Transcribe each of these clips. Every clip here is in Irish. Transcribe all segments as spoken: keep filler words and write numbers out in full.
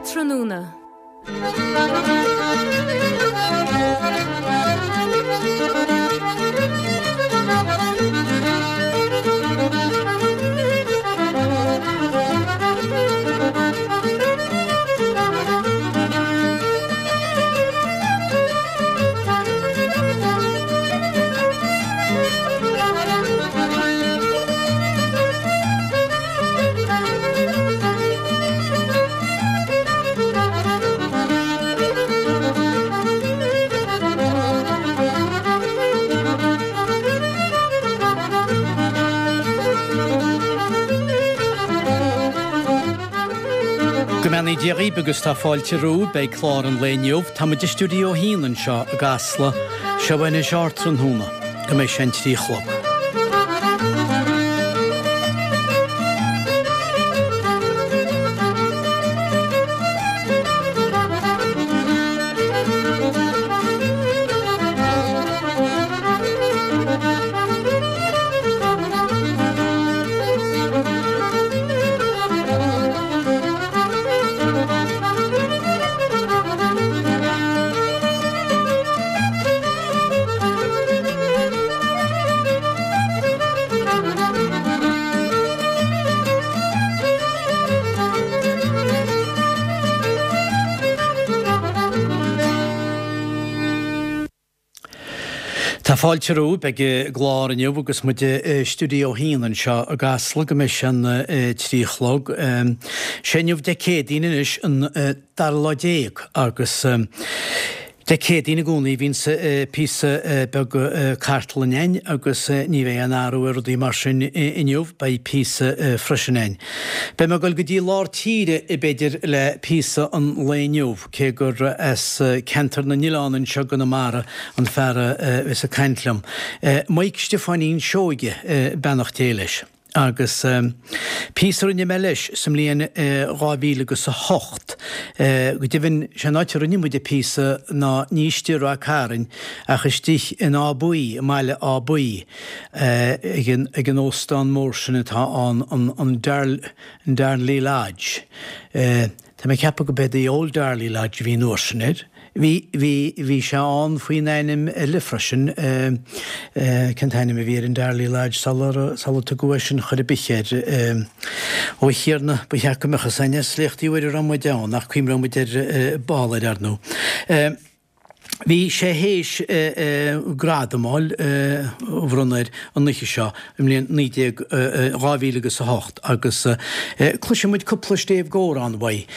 Ardtráthnóna. Go mbeannaí Dia dhaoibh agus tá fáilte romhaibh beidh clár an lae inniu. Tá muid i stiúideo a haon anseo i gCasla. Seo anois Ardtráthnóna. Go mbeidh sé an trí a chlog. Tá fáilte romhaibh ag an gclár inniu agus muid i stiúideo a haon anseo i gCasla go mbeidh sé an trí a chlog. Sé inniu Dé Céadaoin anois an dara lá déag agus Dé Céadaoin i gcónaí bhíonns píosa beag cartlainne ann agus ní bheidh aon athrú ar rudaí mar sin inniu, beidh píosa freisin ann. Beidh mé ag dul go dtí lár tíre b'fhéidir le píosa an lae inniu, cé gur as ceantar na n-oileán anseo i gConamara an fear a bheas ag caint liom. Maidhc Stiofáinín Seoige, beannacht Dé leis. Agus píosa a rinne mé leis sa mbliain dhá mhíle agus a hocht, go deimhin, sé an áit a rinne muid an píosa ná ní istigh i Ráth Cairn ach istigh in Áth Buí, i mbaile Átha Buí, ag an, ag an óstán mór sin atá ann, an, an Darnley Lodge. Tá mé ag ceapadh go b'é The Old Darley Lodge a bhí an uair sin air. Bhí, bhí, bhí sé ann faoin ainm eile freisin, cén t-ainm a bhí ar an Darley Lodge sular, sular tugadh é sin chor ar bith air? Ó a Thiarna, ba cheart go mbeadh fhios a'inn as léachtaí uair a raibh muid ann, ach cuimhneoidh muid air ball air, ar ndóigh. Bhí sé théis gradam a fháil, a bhronnadh air an oíche seo i mbliain naoi déag, dhá mhíle agus a hocht agus cloisfidh muid cúpla stéibh d'amhrán uaidh.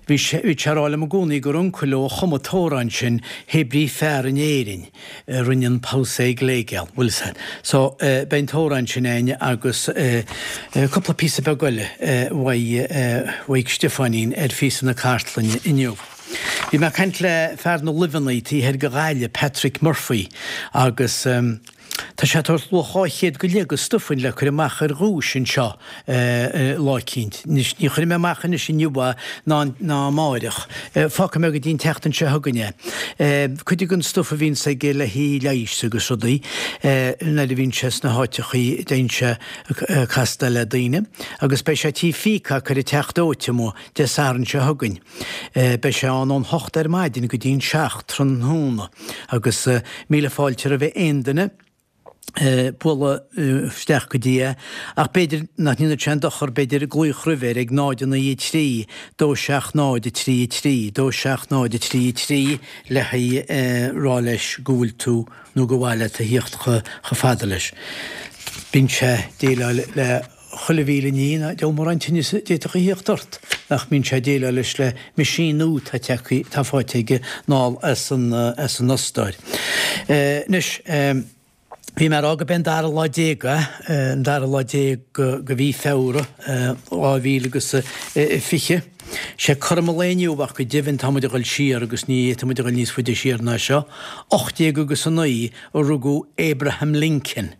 Bhí sé ag rá liom i gcónaí gur uncail leo a chum an t-amhrán sin, Hé brí fear in Éirinn a rinne an pabhsae gléigeal, bhfuil fhios a'd. So, beidh an t-amhrán sin a'inn agus cúpla píosa beag eile uaidh Mhaidhc Stiofáinín ar phíosa na cartlainne inniu. Bhí mé ag caint le fear na luibheanna taobh thoir de Ghaillimh, Patrick Murphy, agus tá sé ag tabhairt luach dhá chéad go leith de stuif le cur amach ar dhuais anseo lá eicínt. Anois, ní chuirfidh mé amach anois inniu é ná ná amáireach. Fágfaidh mé go dtí an tseachtain seo chugainn é. Cuid den stuif a bhíonns aige le haghaidh leighis agus rudaí, nuair a bhíonn sé sna háiteachaí, déanann sé castáil le daoine. Agus beidh sé tí Pheacock ar an Teach Dóite amuigh Dé Sathairn seo chugainn. Beidh sé ann ón hocht ar maidin go dtí an seacht tráthnóna agus míle fáilte roimh aon duine bualadh isteach go dtí é ach b'fhéidir nach ndéanfadh sé aon dochar b'fhéidir glaoch roimhe ar ag náid a naoi a trí, dó seacht náid a trí a trí, dó seacht náid a trí a trí le haghaidh rá leis go bhfuil tú nó gur mhaith leat a thíocht chomh fada leis. Bíonn sé ag déileáil le chuile mhíle ní, ná deabhal mórán tinneas a d'fhéadfadh a thíocht ort, nach mbíonn sé ag déileáil leis le meaisín nua atá tagtha, atá faighte aige anall as an, as an Ostáir. Anois, bhí mé ag rá gurb é an dara lá déag é, an dara lá déag de mhí Feabhra, dhá mhíle agus a fiche. Sé cothrom an lae inniu ach go deimhin tá muid ag dul siar agus ní fhéadfaidh muid a dhul níos faide siar ná seo, ocht déag agus a naoi a rugadh Abraham Lincoln.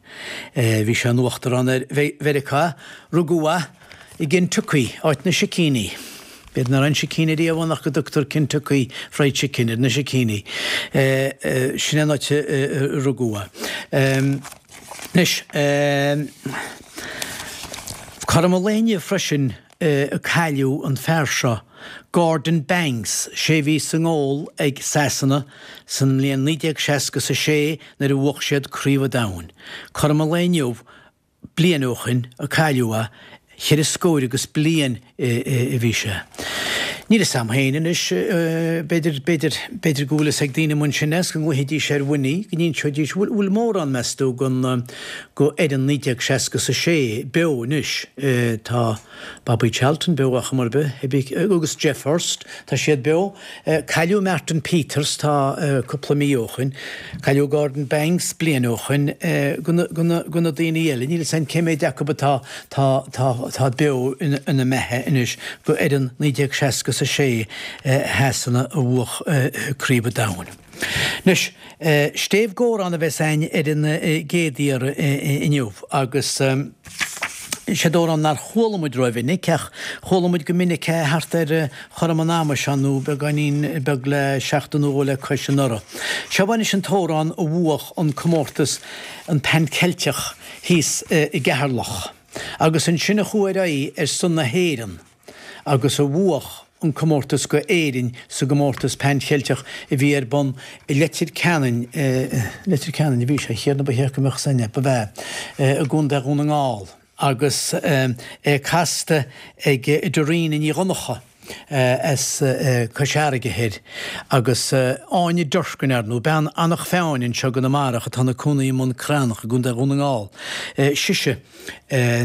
Bhí sé ina uachtarán ar Mheiriceá. Rugadh é i gCentucky, áit na sicíní. B'fhéidir nach raibh aon sicín ariamh ann ach go dtugtar Kentucky Fried Chicken ar na sicíní. Sin é an áit a rugadh é. Anois, cothrom an lae inniu freisin a cailleadh an fear seo, Gordon Banks, sé bhí sa ngól ag Sasana san mbliain naoi déag seasca is a sé nuair a bhuach siad Craobh an Domhain. Cothrom an lae inniu, bliain ó shin a cailleadh é, cheithre scór agus bliain a bhí sé. Níl fhios a'm féin anois, b'fhéidir, b'fhéidir, b'fhéidir go bhfuil fhios ag daoine amuigh ansin is go nglaofaidís ar Winnie, go n-inseoidís, bhfuil, bhfuil mórán, meas tú, den, go fhoireann naoi déag seasca is a sé beo anois. Tá Bobby Charlton beo ar chuma ar bith, agus Geoff Hurst, tá siad beo. Cailleadh Martin Peters, tá cúpla mí ó shin. Cailleadh Gordon Banks bliain ó shin. Go na daoine eile, níl fhios a'm cé méid acu atá tá tá tá beo ina mbeatha anois go fhoireann naoi déag seasca is a sé Shasana a bhuach Craobh an Domhain. Anois, Stéibh Góran a bheas a'inn ar an gcéad iarraidh inniu agus Siod amhrán nár chuala muid rómhinic, ach chuala muid go minic é thart ar chothrom an ama seo nó beagáinín beag le seachtain nó dhó le cois anuraidh. Seo anois an t-amhrán a bhuach an comórtas an Pan Ceilteach thíos i gCeatharlach agus ansin a chuaigh ar aghaidh ar son na hÉireann agus a bhuach an comórtas go Éirinn sa gcomórtas Pan Cheilteach a bhí ar bun i Leitir Ceanainn, Leitir Ceanainn a bhí sé, a Thiarna ba cheart go mbeadh san, ba bhea, i gContae Dhún na nGall agus é casta ag Dorina Ní Dhonncha as Cois Fharraige Thoir agus Áine Durkin, ar ndóigh, bean Eanach Mheáin anseo i gConamara atá ina cónaí i mBun Cranncha i gContae Dhún na nGall, sise a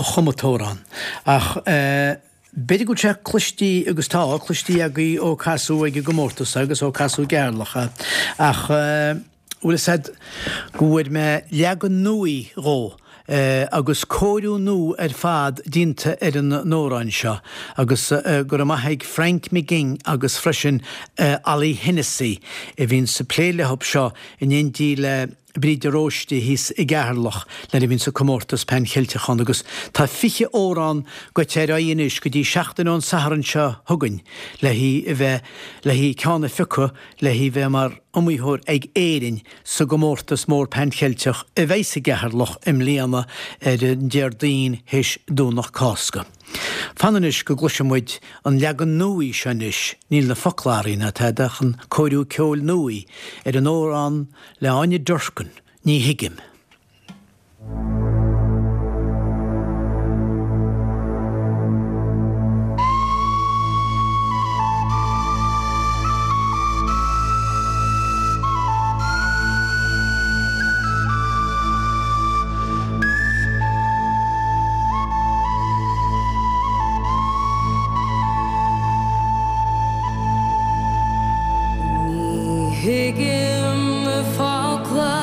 chum an t-amhrán. Ach. B'fhéidir go bhfuil sé cloistí agus tá cloistí agaibh ó casadh ag an gcomórtas agus ó casadh i gCeatharlach é ach bhfuil fhios a'd go bhfuair mé leagan nuaí dhó agus cóiriú nua ar fad déanta ar an amhrán seo agus go raibh maith ag Frank McGing agus freisin Ollie Hennessy a bhíonns ag plé leob seo in éindí le Bríd de Róiste thíos i gCeatharlach nuair a bhíonns an comórtas Pan Cheilteach ann agus tá fiche amhrán gaibhte ar aghaidh anois go dtí seachtain ón Satharn seo chugainn le hí a bheith le hí ceann a phiocadh le hí bheith mar iomaitheoir ag Éirinn sa gcomórtas mór Pan Cheilteach a bheidhs i gCeatharlach i mbliana ar an Déardaoin théis Domhnach Cásca. Fan anois go gcloisfidh muid an leagan nuaí seo anois, níl na focla athraithe ná tada ach an cóiriú ceoil nuaí ar an amhrán le Áine Durkin, Ní Thuigim. Ní thuigim na focla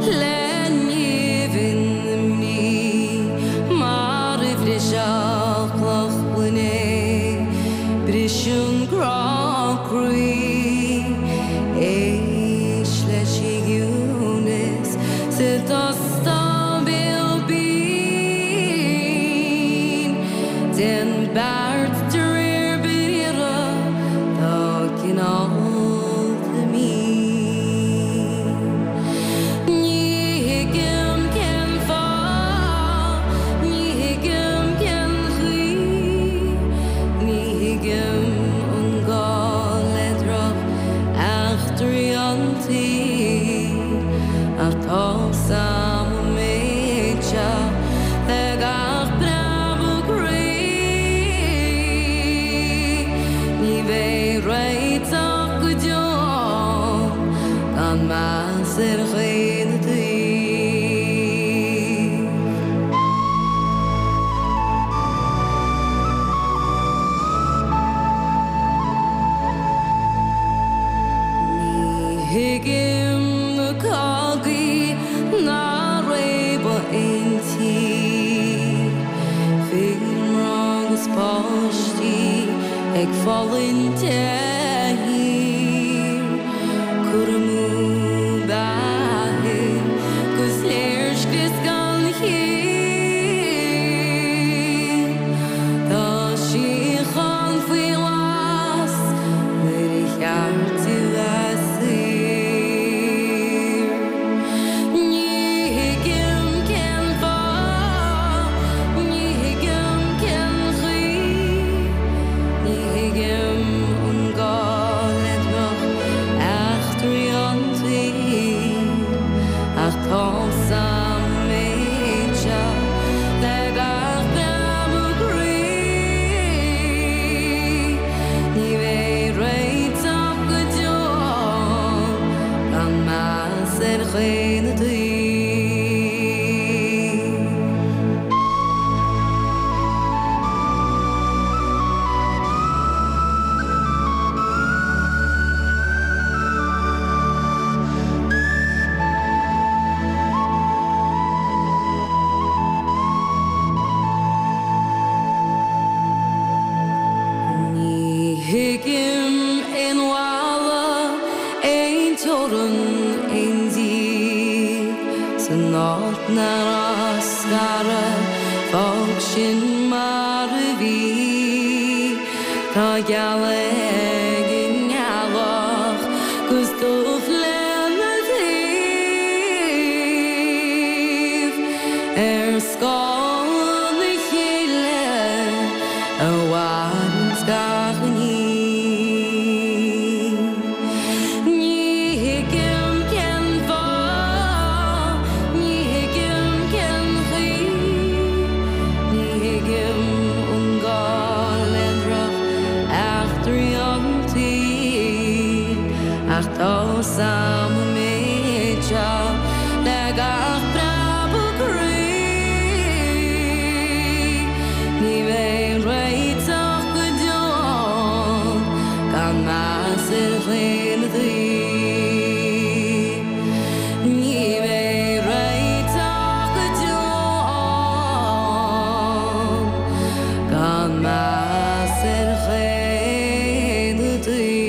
le nimhin na mí mar a bhrisfeadh cloch gloine briseann grá croí. Éist leis an gciúnas sa t-óstán béal binn. Déan beart de réir briathair atá cineálta mín. Ní thuigim cén fáth, ní thuigim cén chaoi, ní thuigim an gá le droch eachtraí an tsaoil ach tá's a'm an méid seo le gach preabadh croí. Ní bheidh réiteach go deo gan meas ar dhaonnaí. Ní thuigim na cogaí ná réabadh aon tír, fir mná agus páistí ag fulaingt de shíor, cur amú beatha 'gus léirscrios gan chiall. Tá síocháin faoi ghlas nuair a cheart di bheith saor. Ní thuigim cén fáth, ní thuigim cén chaoi, ní thuigim Ná scaradh fág sin mar a bhí Tá gealladh ag an ngealach 'gus dubh lena taobh Ar scáth na chéile a mhaireanns gach ní. Ní thuigim cén fáth, ní thuigim cén chaoi, ní thuigim an gá le drocheachtraí an tsaoil, ach tá 'fhios a'm an méid seo le gach preabadh croí. Ní bheidh réiteach go deo gan meas ar chaon taobh. Ní bheidh réiteach go deo gan meas ar chaon taobh.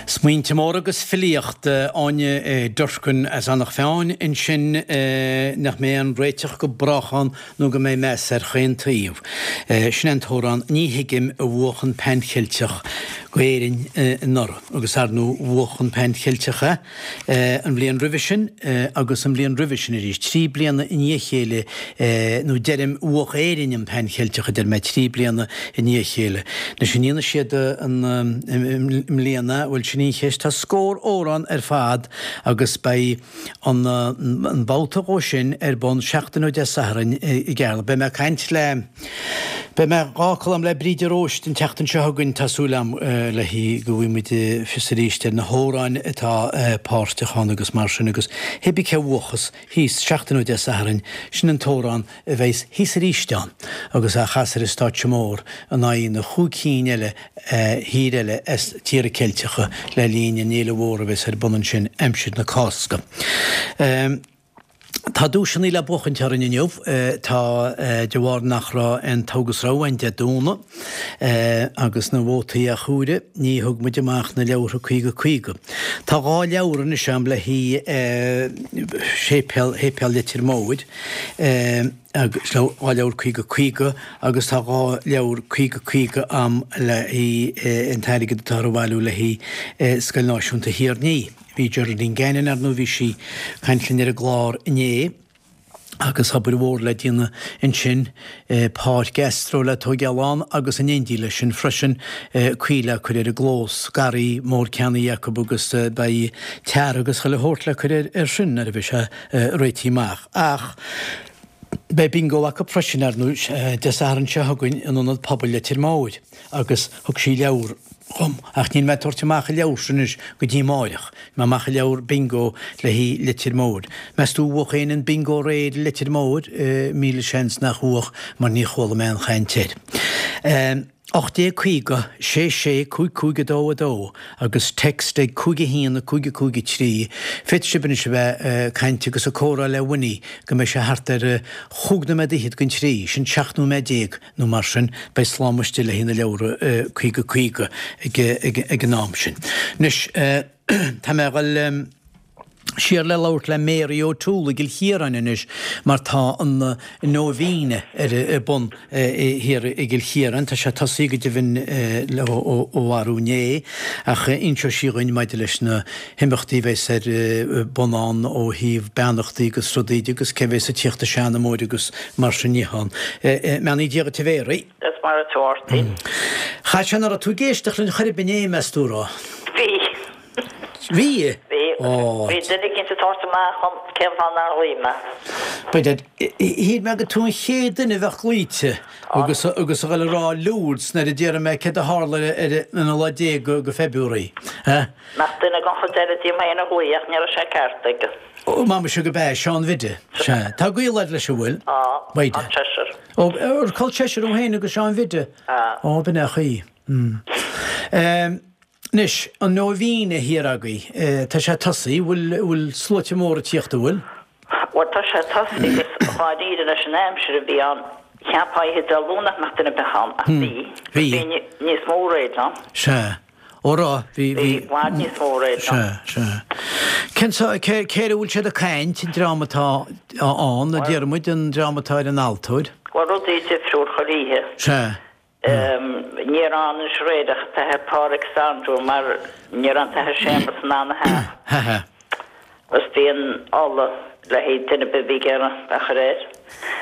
Smaointe móra agus filíocht Áine Durkin as Eanach Mheáin ansin nach mbeidh aon réiteach go brách ann nó go mbeidh meas ar chaon taobh. Sin an t-amhrán Ní Thuigim a bhuach an Pan Cheilteach go Éirinn anuraidh agus ar ndóigh bhuach an Pan Cheilteach é an bhliain roimhe sin agus an bhliain roimhe sin arís trí bliana i ndiaidh a chéile nó deirim bhuach Éirinn an Pan Cheilteach a deir mé trí bliana i ndiaidh a chéile. Anois an ndéanfaidh siad an mbliana bhfuil sin í cheist tá scór amhrán ar fad agus beidh an an babhta dhó sin ar bun seachtain ó Dé Sathairn i gCeatharlach. Beidh mé ag caint le Beidh mé dhá colm le Bríd de Róiste an tseachtain seo chugainn tá súil agam le hí go bhfaighidh muid fios arís ar na hamhráin atá páirteach ann agus mar sin agus hébí cé bhuachas thíos seachtain ó Dé Sathairn sin an t-amhrán a bheas thíos arís ann agus a chas ar an stáitse mór in aghaidh na chúig cinn eile thír eile as tíortha Ceilteacha le linn an fhéile mhór a bheas ar bun ansin aimsir na Cásca. Um, Tá duaiseanna le buachaint orainn inniu tá de bharr nach raibh an togha agus rogha ann Dé Domhnaigh agus na vótaí á chomhaireamh ní thug muid amach na leabhartha caoga caoga. Tá dhá leabhar anois agam le haghaidh séipéal Shéipéal Leitir Móir agus dhá leabhar caoga caoga agus tá dhá leabhar caoga caoga agam le haghaidh an t-airgead atá ar bhailiú le haghaidh Scoil Náisiúnta Thír an Fhia. Bhí Geraldine Gannon ar ndóigh bhí sí ag caint linn ar an gclár inné agus obair mhór le déanamh ansin páirc Astro le tógáil ann agus in éindí leis sin freisin caoi le cur ar an gclós garraí mór ceannaithe acu agus beidh tar agus chuile shórt le cur ar sin nuair a bheidh sé réitithe amach. Ach beidh bingo acu freisin ar ndóigh Dé Sathairn seo chugainn in Ionad Pobail Leitir Móir agus thug sí leabhar dhom ach níl mé ag tabhairt amach an leabhar sin anois go dtí amárach. Mé amach an leabhar bingo le haghaidh Leitir Móir. Meas tú bhuach éinne an bingo aréir i Leitir Móir? Míle seans nach bhuach mar ní chuala mé aon chaint air. ocht déag caoga, sé sé, cúig cúig a dó a dó agus text ag cúig a haon a cúig a cúig a trí. Féadfaidh sibh anois a bheith ag caint agus ag comhrá le Winnie go mbeidh sé thart ar chúig nóiméad fhichead don trí, sin seacht nóiméad déag nó mar sin, beidh slám istigh le haghaidh na leabhra caoga caoga ag an am sin. Anois tá mé ag dul siar le labhairt le Mary O'Toole i gCill Chiaráin anois mar tá an nóibhíne ar bun thiar i gCill Chiaráin. Tá sé tosaithe go deimhin ó arú inné ach inseoidh sí dhuinn maidir leis na himeachtaí a bheas ar bun ann ó thaobh beannachtaí agus rudaí de agus cé bheas ag tíocht i seanamóir agus mar sin de ann. Beannacht Dé dhuit a Mary. Is mar atá Mháirtín. Cha sé nach raibh tú ag éisteacht linn chor ar bith inné, meas tú raibh? Bhí. Bhí? Bhí. Bhí duine éicint ag tabhairt amach dhom cén fáth nár ghlaoigh mé. B'fhéidir, shíl mé gur tú an chéad duine a bheadh glaoite agus agus a dhul a rá Lourdes nuair a déarfaidh mé céard a tharla ar an lá déag go February. Nach duine den chuid eile díom féin a ghlaoigh ach ní raibh sé ceart aige. Ó, mama seo go b'ea, Seán Bhide. Sea. Tá gaol agat leis an bhfuil? Tá. Bhide. An seisear. Ó, ar col seisear thú féin agus Seán Bhide? Tá. Ó, b'in é an chaoi. Mm. Anois, an nóibhíne thiar agaibh, tá sé tosaithe, bhfuil, bhfuil sluaite móra ag tíocht, an bhfuil? Bhuel, tá sé tosaithe agus dháiríre leis an aimsir a bhí ann, Cheapfá oíche Dé Luain nach mbeadh duine ar bith ann, ach bhí. Bhí. Bhí níos mó aréir ann. Sea. Ó raibh, bhí, bhí. Bhí i bhfad níos mó aréir ann. Sea, sea. Cén sá, cé, cé air a bhfuil siad ag caint, an dream atá ann, a deir muid, an dream atá ar an altóir? Bhuel, rudaí difriúil chuile oíche. Sea. Ní raibh ann anois aréir ach an tAthair Pádraig Sandra mar ní raibh an tAthair Séamus in ann a theacht. Ha ha. Agus bhí an ola le haghaidh duine ar bith a bhí ag iarraidh a chur air.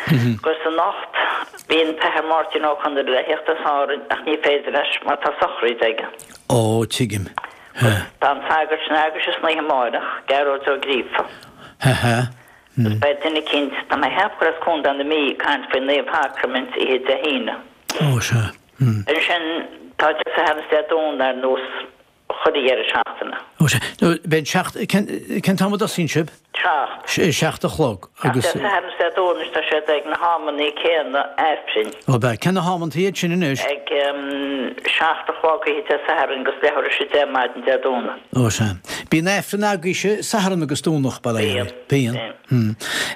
Agus anocht bhí an tAthair Máirtín Ó Conaire le theacht as Árainn ach ní féidir leis mar tá sochraid aige. Ó, tuigim. Ha. Tá an sagart san eaglais san oíche amárach, Gearóid Ó Gríofa. Ha ha. Agus beidh duine eicínt, tá mé ag ceapadh gur as Contae na Mí, ag caint faoin Naomh-Shacraimint oíche Dé hAoine. Ó, sea. Hmm. Ansin tá Dé Sathairn is Dé Domhnaigh ar nós chuile dheireadh seachtaine. Ó, sea. Nó beidh an seacht, cén, cén t-am a dtosaíonn sibh? Seacht. Seacht a chlog Ach agus. Dé Sathairn is Dé Domhnaigh tá siad ag na hamannaí céanna Aifrinn. Ó, beidh. Cén na hamantaí iad sin anois? Ag seacht a chlog oíche Dé Sathairn agus leathuair tar éis a deich maidin Dé Domhnaigh. Ó, sea. Bíonn Aifreann agaibhse Satharn agus Domhnach, bail ó Dhia oraibh. Bíonn. Bíonn. Hmm.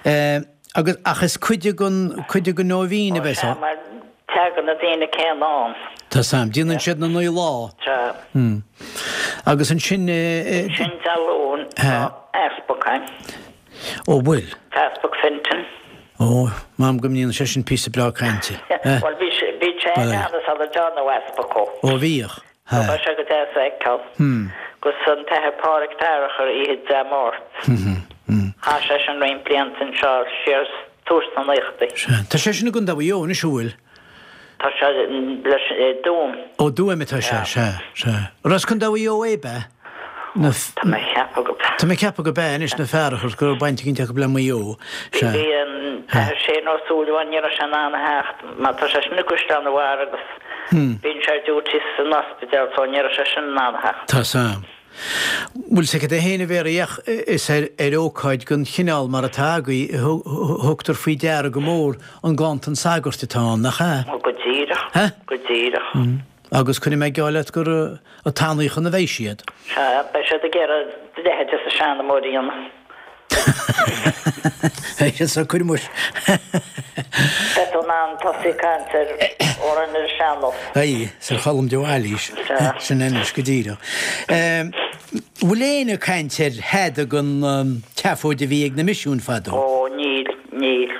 Eh, agus, ach is cuid den, cuid den nóibhín a Ó, bheas sea, ann. mar tagann na daoine céanna ann. Tá 's a'm. Déanann siad na naoi lá. Sea. Hmm. Agus ansin, eh, eh, Sin Dé Luain, Ha. tá easpag ann. Ó, bhfuil? Easpag Fintan. Ó, m'anam go ndéanann sé sin píosa breá cainte. Eh? Bhuel, bhí sé, bhí sé Bhuel, ann sula ndearnadh easpag dhó. Ó, bhíodh. Ha. Tá sé go deas a fheiceáil. Hmm. Agus an tAthair Pádraig Fearchair oíche Dé Máirt. Mhm. Hmm. Chaith sé sin roinnt blianta anseo siar tús na naochadaí. Sea. Tá sé sin i gContae Mhaigh Eo anois, an bhfuil? Tá sé leis Tuaim. Ó, Tuaim atá sé, sea, sea. Ar as Contae Mhaigh Eo é, be? Na f- Tá mé ag ceapadh go Tá mé ag ceapadh go b'ea anois na Fearchair go raibh baint eicínt acu le Maigh Eo. Sea. Bhí an tAthair Shane Ó Súilleabháin ní raibh sé in ann a theacht mar tá sé sin i gCaisleán an Bharraigh agus bíonn sé ar duty san ospidéal so ní raibh sé sin in ann a theacht. Tá 's a'm. Bhfuil 's agat é féin a Mhéaraí ach is ar ar ócáid den chineál mar atá agaibh a thugtar faoi deara go mór an ganntan sagairt atá ann, nach ea? Ó go díreach. Ha? Go díreach. Agus cuirfidh mé geall leat gur ag tanaíochan a bheidh siad. Sea, beidh siad ag iarraidh do leithéid de sheanamóir a dhéanamh. Beidh siad cuir muis. Beidh tú in ann tosaí ag caint ar amhráin ar an sean-nós. Aye, Sir Cholm de Bhailís. Sea. Sin anois go díreach. Bhfuil éinne ag caint ar thada den tseafóid a bhí ag na misiúin fadó? Ó, níl, níl.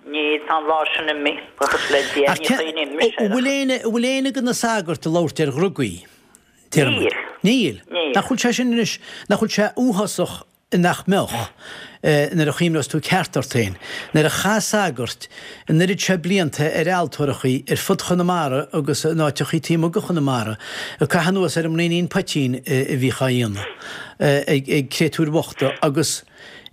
Níl, tá an lá sin imithe, buíochas le Dia, Ach ní ce- chuimhním mise air. bhfuil éinne bhfuil éinne de na sagairt ag labhairt ar dhrugaí? Deirim. Níl. Níl. Níl. Nach bhfuil sé sin anois, nach bhfuil sé uafásach nach mbeadh nuair a chuimhneos tú ceart ort féin. Nuair a chaith sagairt an oiread seo blianta ar altórachaí ar fud Chonamara agus in áiteachaí taobh amuigh de Chonamara, ag caitheamh anuas ar an mbraoinín poitín a bhíodh á dhéanamh ag ag créatúir bhochta agus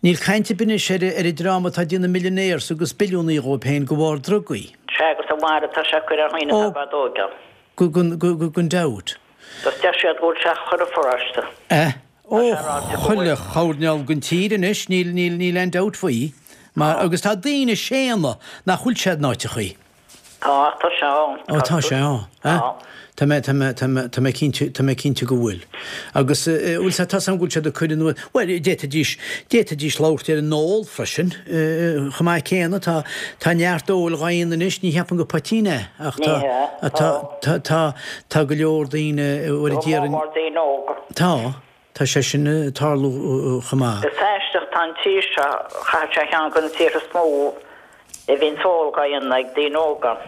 níl caint ar bith anois ar ar an dream atá ag déanamh millionaires agus billiúnaí dhóibh féin de bharr drugaí. Sea, agus an mhair atá sé ag cur ar dhaoine Ó. atá i bhfad óg ann. Go go go gan dabht. Agus deir siad go bhfuil sé chuile pharóiste. Eh? Ó, Tá sé ráite go chuile bhfuil. choirnéal den tír anois, níl níl níl aon dabht faoi. Mar agus tá daoine ag séanadh nach bhfuil sé in áiteachaí. Tá, tá sé ann. Ó, tá sé ann. Eh? Tá. Tá mé tá mé tá mé tá mé cinnte tá mé cinnte go bhfuil. Agus eh, bhfuil sé tá sam go bhfuil siad ag cur anuas. Bhuel, d'fhéadfaidís d'fhéadfaidís labhairt ar an ól freisin. Eh, chomh maith céanna tá tá neart óil á dhéanamh anois, ní cheapaim gur poitín é ach tá Ní hea, tá tá tá tá go leor daoine a bhfuil Go ag iarraidh mór mór daoine óga. Tá tá sé sin ag tarlú chomh maith. Is aisteach tá an tír seo chaith sé cheann de na tíortha is mó a bhíonn ól á dhéanamh ag daoine óga.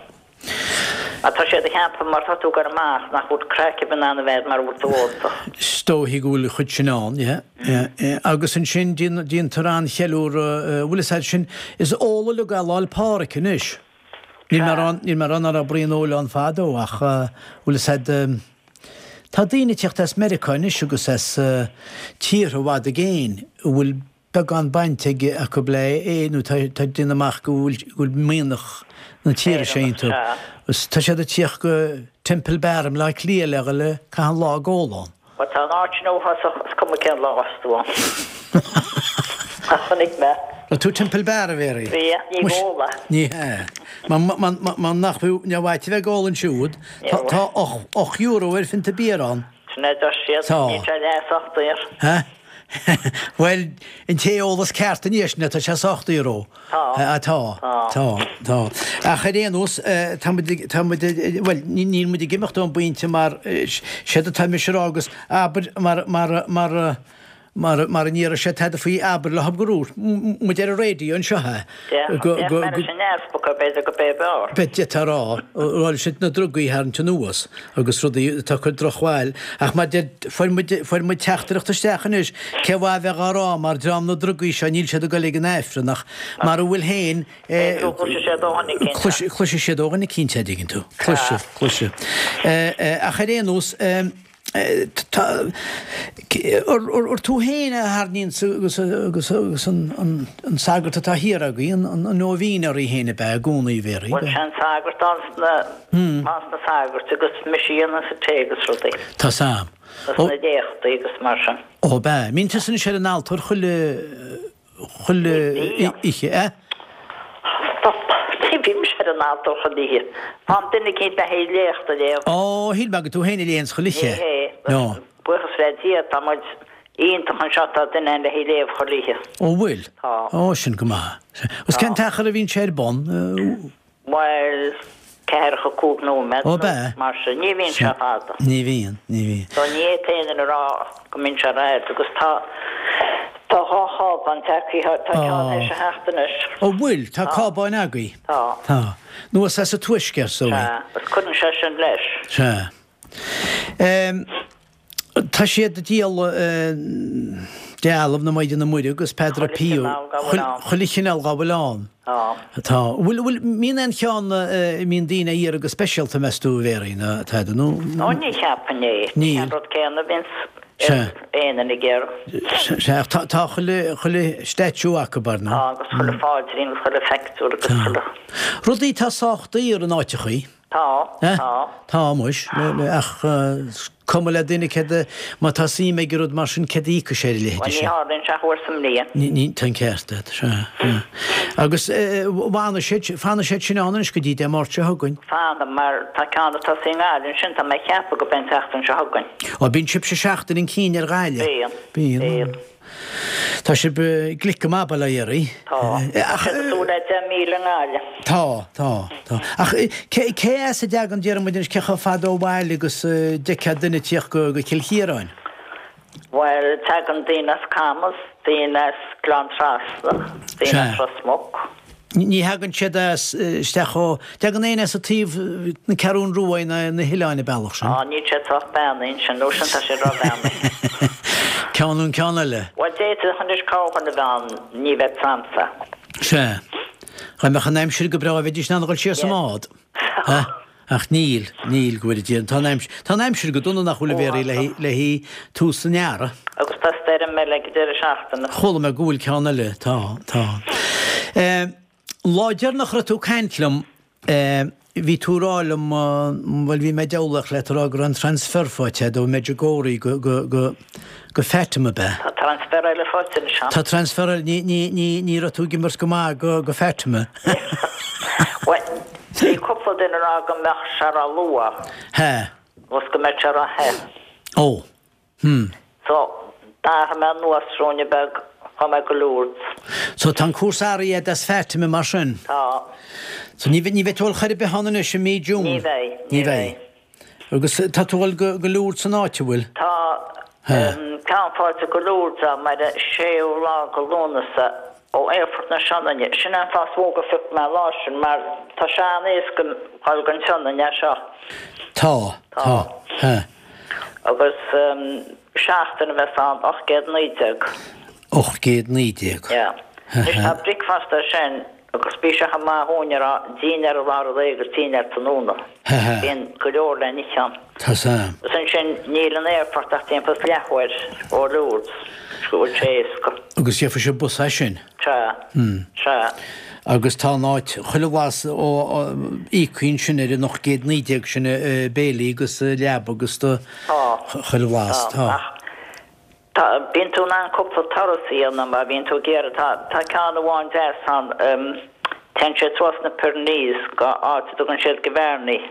Mar tá siad ag ceapadh mar tá tú ag goil amach nach bhfuil craic ar bith in ann a bheith mar bhfuil tú ólta. Is dóichí go bhfuil an chuid sin ann, yeah, yeah, yeah. Agus ansin déantar an-cheiliúradh, bhfuil fhios a'd sin, is ól uilig é Lá 'le Pádraig anois. Níl mé ag rá, níl mé ag rá nach raibh braon óil ann fadó ach bhfuil fhios a'd, tá daoine ag teacht as Meiriceá anois agus as tíortha i bhfad i gcéin a bhfuil beagán baint ag acu le é nó tá tá déanamh amach go bhfuil go bhfuil mianach na tíre seo iontu. Agus tá siad ag tíocht go Temple Bar i mBleá Cliath le le caitheamh an lá ag ól ann. Bhuel tá an áit sin uafásach is cuma cén lá as tú ann. Ach chonaic mé. Raibh tú Temple Bar a Mhéaraí? Bhí, ní Muis, ag ól é. Ní hea. Mar mar mar mar nach bhfiú ní bhfaightear bheith ag ól ansiúd, tá tá och och euro ar phionta beer ann. Sin é deir siad, Tá. níl sé leasach daor. Ha? Bhuel, an t-eolas ceart anois ná tá sé sách daor ó. Tá. Tá, tá, tá. Ach ar aon nós, tá muid, tá muid, bhuel, níl muid ag imeacht ón bpointe mar séard atá mise a rá agus abair mar, mar, mar, Mar mar a ndéarfadh sé tada faoi abair leo go raibh muid ar an raidió anseo eh? Go go go sin easpa b'fhéidir go b'é b'fhearr. B'fhéidir tá rá rá siad na drugaí a tharraingt anuas agus rudaí atá ag cur drochbhail ach mar deir fuair muid fuair muid teachtaireacht isteach anois cé mhaith a bheith á rá mar dream na drugaí seo níl siad ag dul ag an Aifreann ach mar a bhfuil féin eh Cloisfidh siad ó dhuine eicínt. Cloisfidh siad ó dhuine eicínt a dtuigeann tú. Cloisfidh, cloisfidh. Eh eh ach ar aon nós eh Tá, ar tú féin a tharraingíonn agus agus an sagart atá thiar agaibh, an nóibhín oraibh féin ab ea i gcónaí a Mhéaraí? Bhuel, sé an sagart ann sna, ann sna sagairt agus mise a dhéanann an tae agus rudaí. Tá 's a'm. Agus na léachtaí agus mar sin. Ó, ab ea. Mbíonn tusa anois ar an altóir chuile, chuile oíche, eh? Stop. Ní bhímse ar an altóir chuile oíche. Faigheann duine eicínt le haghaidh léacht a léamh. Ó, shíl mé gur tú féin a léanns chuile oíche. Ní hé. No. Buíochas le Dia, tá muid iontach anseo, tá duine ann le haghaidh léamh chuile oíche. Ó, bhfuil? Tá. Ó, sin go maith. Agus cén t-achar a bhíonn sé ar bun? Bhuel, ceathracha cúig nóiméad Ó, nó b'ea? mar sin. Ní bhíonn sé fada. Ní bhíonn, ní bhíonn. So ní fhéadfadh aon duine a rá go mbíonn sé rófhada agus tá, tá dhá chábán tagtha, tá ceann théis a theacht anois. Ó bhfuil? Tá cábáin agaibh? Tá. Tá. Nó is as an tuaisceart so í? Sea, agus cuireann sé sin leis. Sea. Ehm, Tá siad ag díol dealbh na Maighdine Muire agus Padre Pio, chuile chineál dá bhfuil ann. Tá. Bhfuil, bhfuil, mbíonn aon cheann a mbíonn daoine á iarraidh go speisialta, meas tú, a Mhéaraí, nó tada, nó? Ó, ní cheapfainn é. Níl. An rud céanna a bhíonns aon duine ag iarraidh. Sea, ach tá, tá chuile, chuile statue acu, ar ndóigh. Tá, agus chuile phaidrín agus chuile phictiúr agus chuile. Rudaí atá sách daor in áiteachaí. Tá, tá. Tá, muis, ach is cuma le duine céard a, má tá suim aige i rud mar sin, céard a íocfaidh sé ar a leithéid Bhuel, ní sin. tharlaíonn sé ach uair sa mbliain. Ní, ní, tá an ceart agat, sea, sea. Agus fanfaidh siad, fanfaidh siad sin ann anois go dtí Dé Máirt seo chugainn. Fanfaidh, mar tá ceann ag tosaí i nGaillimh ansin, tá mé ag ceapadh go b'é an tseachtain seo chugainn. Ó, bíonn sibhse seachtain chun cinn ar Ghaillimh. Bíonn. Bíonn. Bíonn. Tá sibh glic go maith, bail ó Dhia oraibh. Tá. Tá siad ag súil le deich míle i nGaillimh. Tá, tá, tá. Ach cé cé as a dtagann, déarfaidh muid anois, cé chomh fada ó bhaile agus a d'fheicfeá duine ag tíocht go go Cill Chiaráin? Bhuel, tagann daoine as Camas, daoine as Gleann Trasna, daoine as Ros Muc. Ní thagann siad as isteach ó, dtagann éinne as an taobh na Ceathrún Rua ná na hoileáin an bealach sin? Á, níl siad sách beannaithe ansin, nó sin tá siad ró-bheannaithe. Ceann nó an ceann eile? Bhuel, d'fhéadfadh anois corrdhuine a bheith ann, ní bheadh 'samsa. Sea. Dá mbeadh an aimsir go breá bheidís in ann a dhul siar sa mbád. Ach níl, níl, go bhfóire Dia. Tá an aimsir, tá an aimsir go dona nach bhfuil a Mhéaraí le le haghaidh tús an earraigh. Agus tá stoirm eile ag an deireadh seachtaine. Chuala mé go bhfuil ceann eile, tá, tá. An lá deireanach a raibh tú ag caint liom, bhí tú ag rá liom, bhuel bhí mé ag diabhlaíocht leat ag rá go raibh an transfer faighte agat ó Medjugorje go, go, go, Go Fatima, ab ea? Tá transfer eile faighte anois agam. Tá transfer eile, ní, ní, ní, ní raibh tú ag imirt go maith go, go Fatima. Bhuel, bhí cúpla duine ag rá go mbeadh sé ró-luath. Ha. Agus go mbeadh sé ró-the. Ó. Hm. So, d'athraigh mé anuas ruainne beag, chuaigh mé go Lourdes. So, tá an cúrsa athraithe agat as Fatima mar sin? Tá. So, ní, ní bheidh tú ag dul chor ar bith ann anois i mí June? Ní bheidh, ní bheidh. Agus tá tú ag dul go Lourdes san áit, an bhfuil? Tá ceann faighte go Lourdes agam ar an séú lá go Lúnasa ó Aerfort na Sionainne. Sin é an fáth is mó gur phioc mé an lá sin mar tá sé an-éasca dhul go an tSionainn as seo. Tá, tá. Agus seachtain a bheas ann, ocht gcéad naoi déag. Ocht gcéad naoi déag. Yeah. Anois tá bricfeasta air sin. Agus bíonn sé chomh maith dhúinn a rá dinnéar i lár an lae agus dinnéar tráthnóna. Bíonn go leor le n-ithe ann. Tá 's a'm. Agus ansin níl an aerfort ach timpeall is leathuair ó Lourdes, go bhfuil sé éasca. Agus gheobhaidh sibh bus as sin? Sea. Sea. Agus tá an áit chuile bhlas ó íoctha ansin ar an ocht gcéad naoi déag sin béilí agus leaba agus do chuile bhlas. Tá. Ach Tá, bíonn tú in ann cúpla turas a dhéanamh má bhíonn tú ag iarraidh. Tá, tá ceann amháin deas ann, téann sé suas na Pyrenees go áit a dtugann siad Gavarnie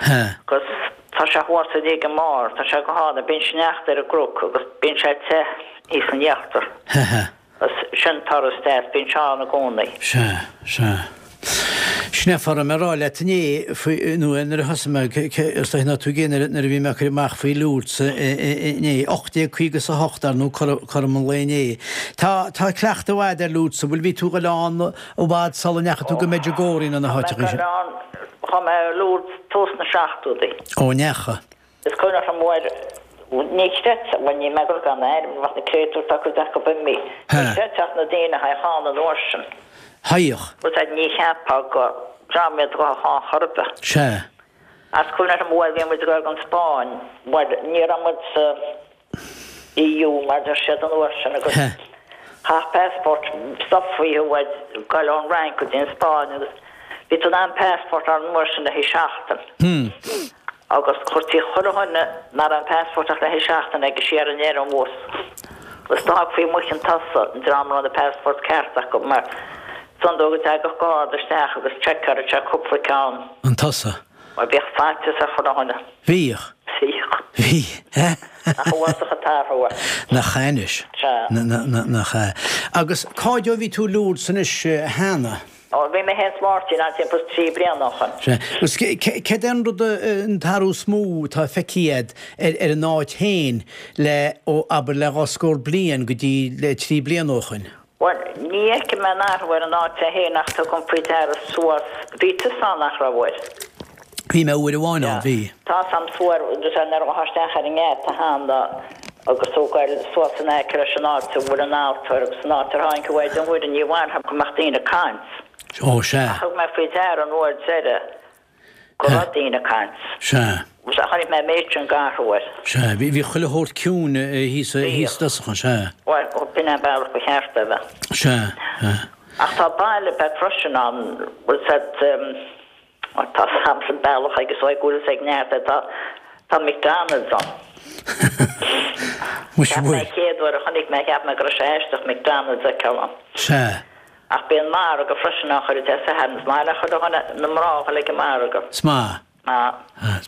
agus tá sé thuas uilig i mbarr, tá sé go hálainn, bíonn sneachta ar an gcnoc agus bíonn sé te thíos in íochtar. Ha ha. Sin turas deas, bíonn sé ann i gcónaí. Sea, sea. Sin é a raibh mé a rá leat inné faoi, nó nuair a thosaigh mé, is dóigh ná tú nuair a bhí mé ag cur amach faoi Lourdes inné, ocht déag caoga is a hocht ar ndóigh cothrom an lae inné. Tá, tá cleachtadh agat ar Lourdes, an bhfuil, bhí tú ag dul ann i bhfad sula ndeachaigh tú go Medjugorje nó na háiteacha sin? Chuaigh mé ar Lourdes tús na seachtóidí. Ó, ndeachaigh. Is cuimhneach liom uair, ní chreidfeá, bhuel ní mé gur gan airm, bheadh na créatúir tá cuid acu imithe. Ní chreidfeá na daoine a théadh ann an uair sin. Théadh. Bhuel sea, ní cheapfá gur dream iad a ghabhfadh ann chor ar bith. Sea. Is cuimhneach liom uair bhí muid ag dul gon Spáinn, bhuel ní raibh muid sa EU mar deir siad an uair sin agus chaithfeá passport stopfaí thú ag goil ón Fhrainc go dtí an Spáinn agus bhí tú in ann passport a fháil an uair sin le haghaidh seachtain. Agus chuirtí chuile dhuine nach raibh an passport ach le haghaidh seachtain aige siar in ar an bhus. Agus d'fhágfaí amuigh chun tosaigh an dream a raibh na passports ceart acu mar is iondúil go dtagadh garda isteach agus seiceáladh sé cúpla ceann. An tusa? Mar bhíodh faitíos ar chuile dhuine. Bhíodh. Bhíodh. Bhí. Nach uafásach an t-athrú é. Nach ea anois. Sea. Nach ea. Agus cá fhad ó bhí tú i Lourdes anois cheana? Ó, bhí mé féin is Máirtín ann timpeall is trí bliana ó shoin. Sea. Agus céard é an rud, an t-athrú is mó atá feicthe agat ar ar an áit féin le, ó, abair le dhá scór bliain go dtí le trí bliana ó shoin? Bhuel, ní fheicim aon athrú ar an áit é féin ach tugaim faoi deara suas, bhí tusa ann nach raibh uair? Bhí mé uair amháin ann, bhí. Tá 'fhios a'm suas, nuair a ghabhfá isteach ar an ngeata cheana agus tú ag goil suas in aice leis an áit a bhfuil an altóir agus an áit ar tháinig an Mhaighdean Mhuire, ní mhaith liom go mbeadh daoine ag caint. Ó, sea. Ach thug mé faoi deara an uair deireadh go raibh daoine ag caint. Sea. Sea, chonaic mé an méid sin d'athrú air. Sea, bhí, bhí chuile shórt ciúin thíos, thíos i dtosach ann, sea. Bhuel, b'in é an bealach ba cheart é a bheith. Sea, sea. Ach tá baile beag freisin ann, bhfuil 's a'd, tá sampla bealach agus ó bhfuil 's ag neart é, tá, tá McDonald's ann. Muise Cheap mé bhfuil. an chéad uair a chonaic mé, cheap mé go raibh sé aisteach McDonald's a fheiceáil ann. Sea. Ach bíonn margadh freisin ann chuile Dé Sathairn, is maith le chuile dhuine na mná a dhul ag an margadh. Is maith. Ah.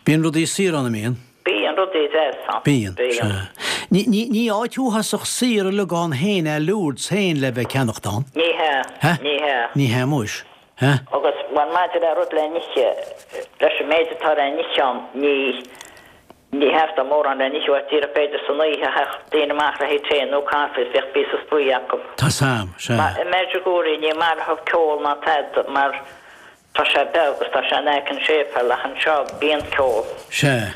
Bíonn rudaí saor ann, an mbíonn? Bíonn rudaí deas ann. Bíonn, Bíonn. sea. Ní, ní, ní áit uafásach saor uilig ann féin é Lourdes féin le bheith ag ceannacht ann. Ní hea. Hä? Ní hea. Ní hea muis. Hä? Agus, bhuel, maidir le rud le n-ithe, leis an méid atá le n-ithe ann, ní, ní theastódh mórán le n-ithe uait, díreach b'fhéidir san oíche, théadh daoine amach le haghaidh tae nó caife is bheadh píosa spraoi acu. Tá 's a'm, sea. Mar i Medjugorje ní maith leo ceol ná tada mar Tá sé beag agus tá sé in aice an séipéil ach anseo bíonn ceol. Sea.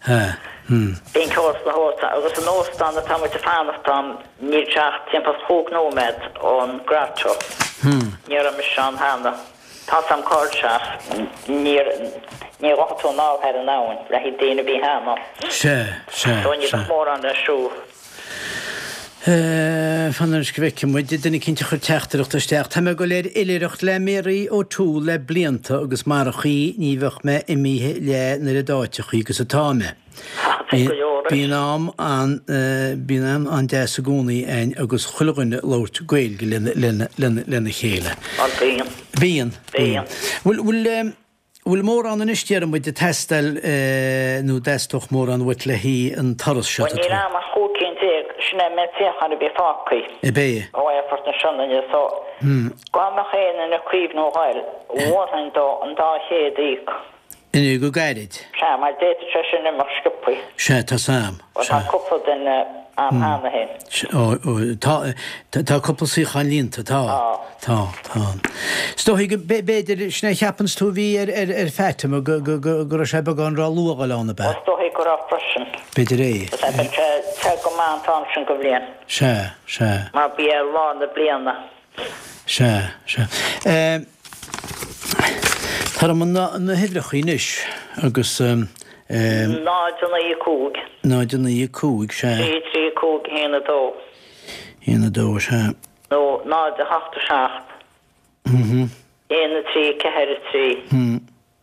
Sea. Hmm. Bíonn ceol sna hóstáin agus an óstán atá muid ag fanacht ann níl sé ach timpeall chúig nóiméad ón grotto. Hmm. Ní raibh mise ann cheana. Tá 's a'm cá bhfuil sé ach níor ní ghabhfadh tú anall thar an abhainn le haghaidh daoine a bhí cheana. Sea. Sea. So ní Sea. bheadh mórán le siúl. Fan anois go bhfeicfidh muid, duine eicínt a chuir teachtaireacht isteach. Tá mé ag dul ar oilithreacht le Mary O'Toole le blianta agus marach í ní bheadh mé imithe léi an oiread áiteachaí agus atá mé. Bíonn am an bíonn am an-deas i gcónaí againn agus chuile dhuine ag labhairt Gaeilge lena chéile. Bíonn. Bíonn. Bíonn. Bhfuil Bhfuil mórán anois déarfaidh muid ag teastáil nó dteastódh mórán uait le haghaidh an turas seo Bhuel níl a'm ach chúig cinn déag, sin é an méid suíochán a bhí fágtha. Ab é? Ó Aerfort na Sionainne so dá mbeadh aon duine ag cuimhniú a ghoil, mholfainn dó an dá chéad a íoc. Inniu go gairid. Sea, mar d'fhéadfadh sé sin imeacht sciobthaí. Sea, tá 's a'm. Bhuel tá cúpla duine a'm cheana féin. Ó, tá, tá cúpla suíochán líonta, tá. Tá, tá. Is dóigh go, b'fhéidir, sin é a cheapanns tú a bhí ar, ar, ar Fatima, go, go, go, go raibh sé beagán ró-luath a dhul ann, ab ea? Is dóigh go raibh freisin. B'fhéidir é. Is é, beidh sé te go maith an t-am sin go bhliain. Sea, sea. Mar b'é lár na bliana. Sea, sea. Tabhair dom na huimhreacha anois agus. Náid a naoi a cúig. Náid a naoi a cúig, sea. Trí trí cúig a haon a dó. Haon a dó, sea. Nó náid a hocht a seacht. Aon a trí ceathair a trí.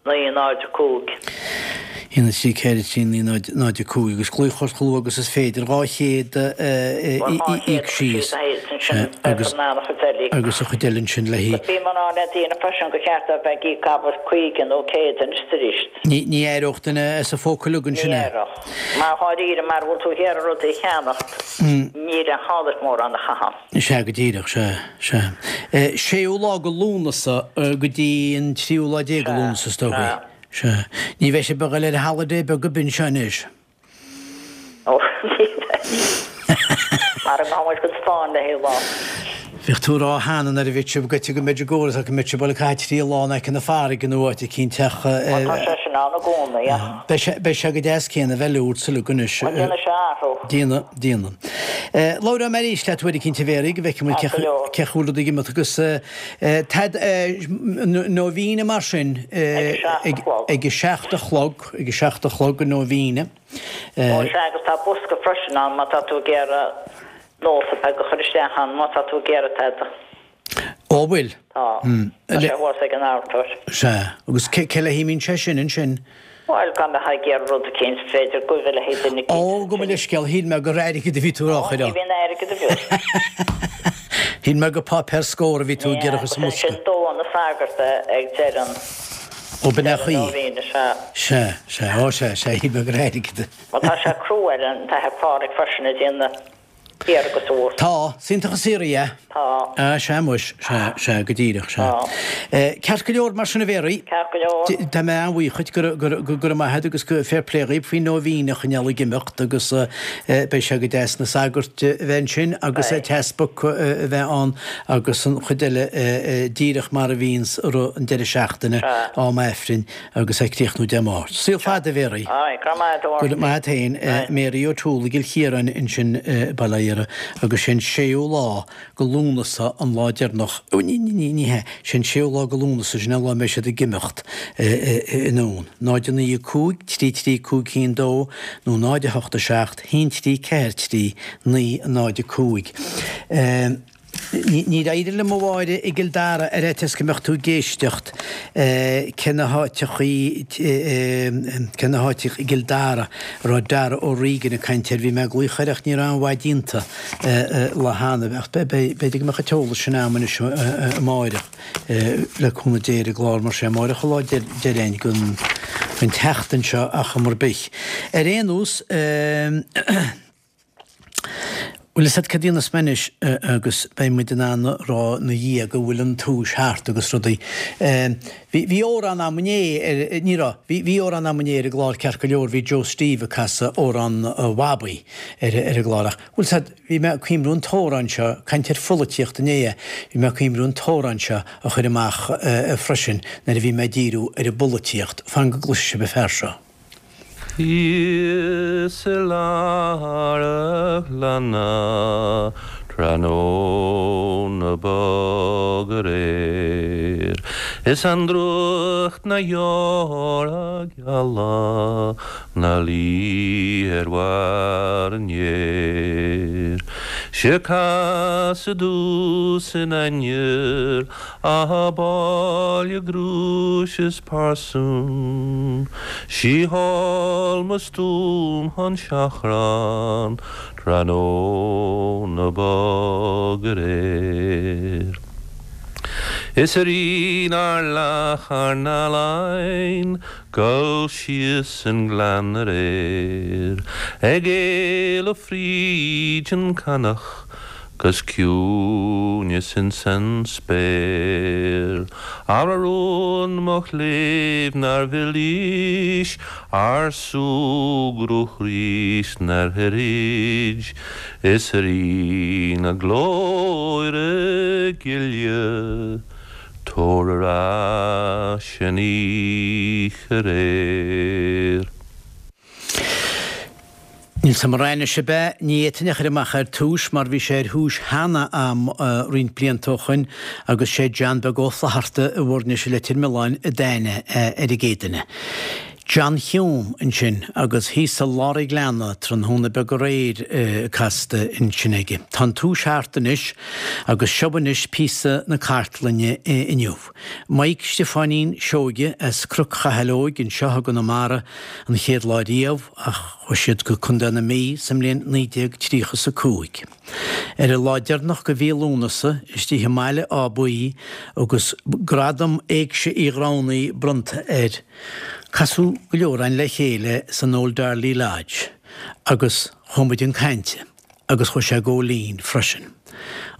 Naoi náid a cúig. Aon a trí ceithre trí naoi náid náid a cúig agus glaoch ort chomh luath agus is féidir dhá chéad íoc síos agus agus an chuid eile ansin le hí. Bhí mé le daoine freisin gur cheart a bheith ag íoc abair caoga nó céad anois arís. Ní ní éireodh duine as a phóca uilig ansin Ní éireodh. Mar dháiríre mar bhfuil tú ag iarraidh rudaí a cheannacht níl an chaillit mórán a chaitheamh. Sea go díreach, sea, sea. Séú lá de Lúnasa go dtí an tríú lá déag de Lúnasa is dóigh. Sea. Ní bheidh sibh ag dul ar holiday beag ar bith anseo anois. Ó, ní bheidh. Mar an gabhann muid go Spáinn le haghaidh lá. Bhíodh tú ag rá cheana nuair a bhí sibh goite go Medjugorje go mbeadh sibh ag caitheamh trí lá in aice na farraige nó áit eicínt ach Bhuel tá sé sin ann i gcónaí ach. Beidh sé, beidh sé go deas céanna bheith leor sa lug anois. Bhuel déanfaidh sé athrú. Déanfaidh, déanfaidh. Labhróidh mé arís leat uair eicínt a Mhéaraí go bhfeicfidh muid cé chaoi bhfuil rudaí ag imeacht agus Tad Nóibhéine mar sin ag a seacht a chlog, ag a seacht a chlog an Nóibhéine. Ó sea agus tá bosca freisin ann má tá tú ag iarraidh nóta beag a chur isteach ann má tá tú ag iarraidh tada. Ó bhfuil? Tá. Tá sé thuas ag an altóir. Sea. Agus cé le himíonn sé sin ansin? Bhuel, dá mbeifeá ag iarraidh rud eicínt, b'fhéidir guibhe le haghaidh duine eicínt. Ó, gabh mo leithscéal, shíl mé gur airgead a bhí tú a rá, Ó, ní bhíonn airgead a bheag. Shíl mé gur páipéar scór a bhí tú ag iarraidh a chur sa mbosca. Sin dó na sagart ag deireadh an. Ó, b'in é an chaoi. Nóibhéine, sea. Sea, sea, ó sea, sea, shíl mé gur airgead a. Bhuel, tá sé crua ar an tAthair Pádraig freisin ag déanamh. Thiar agus thuas. Tá. Is iontach an saothar é. Tá. Ah, sea muis, sea, sea, go díreach, sea. Tá. Ceart go leor mar sin a Mhéaraí. Ceart go leor. Tá mé an-bhuíoch dhuit, go raibh, go raibh maith agat agus go fair play dhaoib faoin nóibhéine a choinneáil ag imeacht agus beidh sé go deas na sagairt a bheith ansin agus an t-easpag a bheith ann agus an chuid eile díreach mar a bhíonns i rith an deireadh seachtaine, am Aifrinn. Agus ag críochnú Dé Máirt. Saol fada, a Mhéaraí. Aye, go raibh maith agat, a Go raibh maith agat féin. Mary O'Toole i gCill Chiaráin ansin i Baile Átha Fhirdhia agus sé an séú lá go Lúnasa an lá deireanach, ní, ní, ní hea, sé an séú lá go Lúnasa, sin an lá a mbeidh siad ag imeacht anonn. Náid a naoi a cúig, trí trí cúig haon dó nó náid a hocht a seacht, haon trí ceathair trí, naoi náid a cúig. Níor éirigh liom a Mháire i gCill Dara ar fhaitíos go mbeadh tú ag éisteacht cé na háiteachaí cé na háiteacha i gCill Dara a raibh Dara O'Regan ag caint air. Bhí mé ag glaoch air ach ní raibh aon mhaith déanta le hannamh ach b'fhéidir go mbeadh an t-eolas sin a'm anois amáireach le cúnamh Dé ar an gclár mar sé amáireach an lá deireanach den tseachtain seo ach am ar bith. Ar aon nós. Bhfuil fhios a't cad a dhéanfas mé anois agus beidh muid in ann a rá 'na dhiaidh go bhfuil an tomhais thart agus rudaí. Bhí, bhí amhrán a'm inné ar, ní raibh, bhí, bhí amhrán a'm inné ar an gclár ceart go leor, bhí Joe Steve ag casadh amhrán Bhabaí ar, ar an gclár ach, bhfuil fhios a't, bhí mé ag cuimhniú an t-amhrán seo, caint ar pholaitíocht inné, bhí mé ag cuimhniú an t-amhrán seo a chur amach freisin nuair a bhí mé ag díriú ar an bpolaitíocht. Fan go gcloisfidh sibh an fear seo. Thíos i lár a' ghleanna tráthnóna bog aréir Is an drúcht 'na dheora geala 'na luí ar bharr an fhéir 'Sé casadh domhsa in ainnir A báille grúis is parsún, Sí thall mo stuaim chun seachráin tráthnóna bog aréir. Is a Rí nár leath ár n-ealaín Gul síos an gleann aréir Ag éalú fríd an canach 'Gus ciúineas ins an spéir. Ara rún mo chléibh nár mhillís Ár súgradh 'rís 'nár throid Is a Rí na glóire gile Tabhair ar ais an oíche aréir. Níl 's a'm an raibh ab ea? Ní fhéadfainn a chur amach ar túis mar bhí sé ar thúis cheana a'm roinnt blianta ó shoin agus sé John Beag Ó Flatharta i bhFoirnis i Leitir Mealláin a d'aithnigh é ar an gcéad duine. John Hume ansin agus thíos i lár an ghleanna tráthnóna beag aréir casta ansin aige. Tá an túis thart anois agus seo anois píosa na cartlainne inniu. Maidhc Stiofáinín Seoige as Cnoc Chathail Óig anseo i gConamara an chéad lá riamh ach chuaigh siad go Contae na Mí sa mbliain naoi déag tríocha is a cúig. Ar an lá deireanach de mhí Lúnasa, istigh i mBaile Átha Buí agus Gradam Éigse Uí Ghramhnaigh bronnta air, casadh go leor againn le chéile san Old Darley Lodge agus chuaigh muid chun cainte agus chuaigh sé Góilín freisin.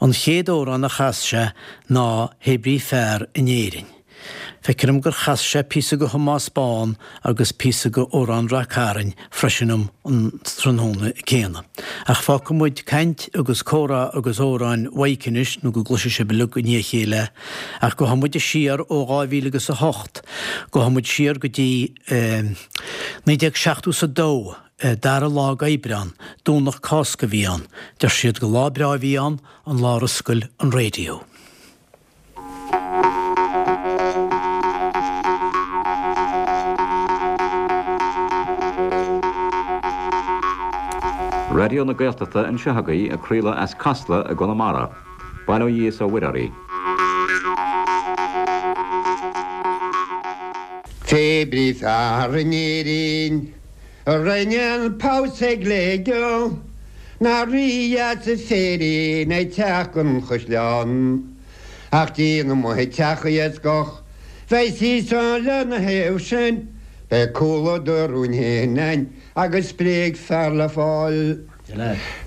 An chéad amhrán a chas sé ná Hé Brí Fear in Éirinn. Feictear dom gur chas sé píosa de Thomás Bán agus píosa de Amhrán Rath Cairn freisin um an tráthnóna céanna. Ach fágfaidh muid caint agus comhrá agus amhráin Mhaidhc anois nó go gcloisfidh sibh uilig i ndiaidh a chéile ach gabhfaidh muid siar ó dhá mhíle agus a hocht, gabhfaidh muid siar go dtí naoi déag seachtó is a dó, dara lá d'Aibreán, Domhnach Cásca a bhí ann. Deir siad gur lá breá a bhí ann, an lá ar oscail an raidió. Raidió na Gaeltachta anseo agaibh ag craoladh as Casla i gConamara. Bail ó Dhia is ó Mhuire oraibh. Pé brí fear in Éirinn a rinne an pabhsae gléigeal ná rí dheas is féirín ag teacht gon chaisleán. Ach díon amuigh ag teach iascach bheidh sí san lena thaobh sin, beidh cúla do rúin fhéin ann agus spréidh fear le fáil.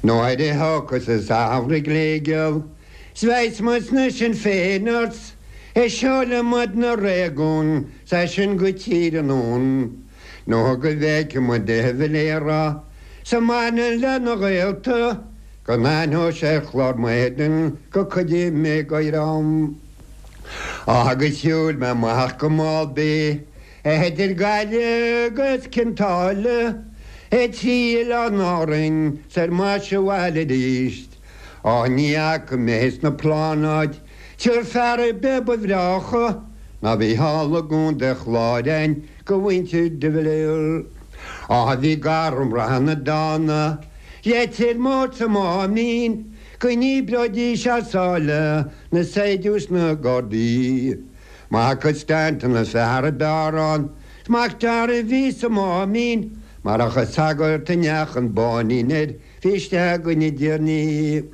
Nuair a thiocfas an samhradh gléigeal 's bheidh muid sna Sinn Féiners ag seoladh muid na réigiún 's as sin go Tír an Fhionn nó go bhfeicfidh muid de Valera 's a mbaineann lena ghaolta go n-aithneodh sé ar chlár m'éadain go cuideoidh mé go am. Agus shiúil mé amach go Mall Bay idir Gaillimh agus Cionn tSáile trí Oileáin Árainn 's ar m'ais abhaile arís. Á ní fhaca mé sna plánáid triúr fear ar bith ba bhreácha ná bhí thall i gContae Chláir a'inn go mhuintir de Valera. Á bhí gairm reatha na dána Leitir Móir sa Máimín go ndíbreoidís as sáile na saighdiúirí 's na gardaí. Mac Stanton an fear ab fhearr ann 's Mac Dara a bhí sa Máimín marach an sagart a ndeachaigh an báinín air bhí isteach againn i dtiarnaí.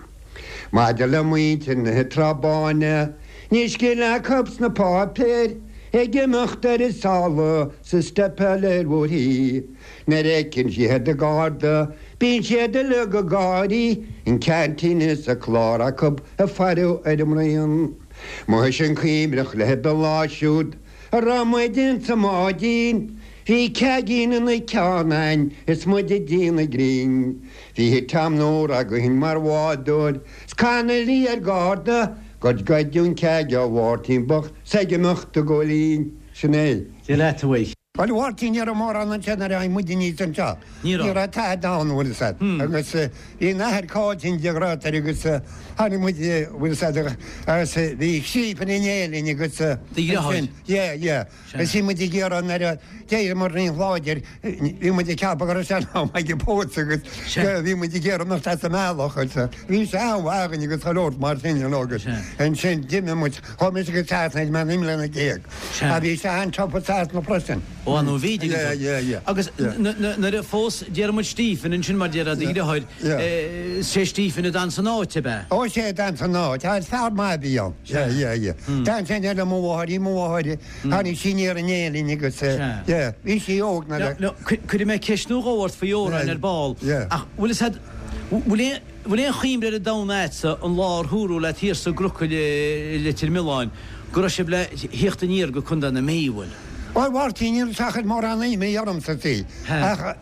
Maidir le muintir na Trá Báine níl scil acu sna páipéir ag imeacht ar a sála sa steipeáil ar bhóithrí. Nuair a fheiceann siad an garda bíonn siad uilig ag gáirí, an ceaintín is an clár acu ag faire ar an mbraon. Muis an cuimhneach libh an lá siúd a raibh muid insa mbáidín, bhí ceaigín ina ceann a'inn is muid ag déanamh grinn. Bhí Tom Nóra againn mar bhádóir 's Connolly ar garda gur goideadh an ceaig ó Mháirtín bocht 's ag imeacht do Góilín. Sin é. Dia leat, a Mhaidhc. Bhuel, a Mháirtín, ní raibh mórán ansin nuair a tháinig muid aníos anseo. Ní raibh. Ní raibh tada ann, bhfuil fhios a'd. Agus bhí an athair Cáiltín de ghrátar agus tháinig muid, bhfuil fhios a'd, agus bhí Stephen in éirinn agus. Do dheartháir? Yeah, yeah. Agus bhí muid ag iarraidh nuair a d'éiríomar níos láidir, bhí muid ag ceapadh go raibh sé in am ag an pósadh agus bhí muid ag iarraidh imeacht as an mbealach agus bhí sé an-mhaith againn agus chuile shórt mar sin, you know, agus ansin d'imigh muid, chuaigh mise go Sasana ag mé naoi mbliana déag. Sea. Bhí sé an-tsiopa Sasana freisin. Ó, an bhí, dtuigeann Yeah, tú. yeah, yeah. Agus nuair a phós déarfaidh muid Stephen ansin mar déarfá do dheartháir, sé Stephen a d'fhan san áit, ab ea? Ó, sé a d'fhan san áit, is fear maith a bhí ann. Yeah, yeah, yeah. D'fhan sé le mo mháthair, bhí mo mháthair, tháinig sí aniar in Éirinn agus, yeah, bhí sí óg nuair a. Now, cuirfidh mé ceist nó dhó ort faoi amhráin ar ball, ach bhfuil fhios a'd, bhfuil aon, bhfuil aon chuimhne ar an domhan a'dsa an lá ar húradh leat thiar sa gCruiceall i Leitir Mealláin go raibh sibh le thíocht aniar go Contae na Mí, bhfuil? Bhuel, Mháirtín, níl seachaint mórán imní ormsa, see, ach,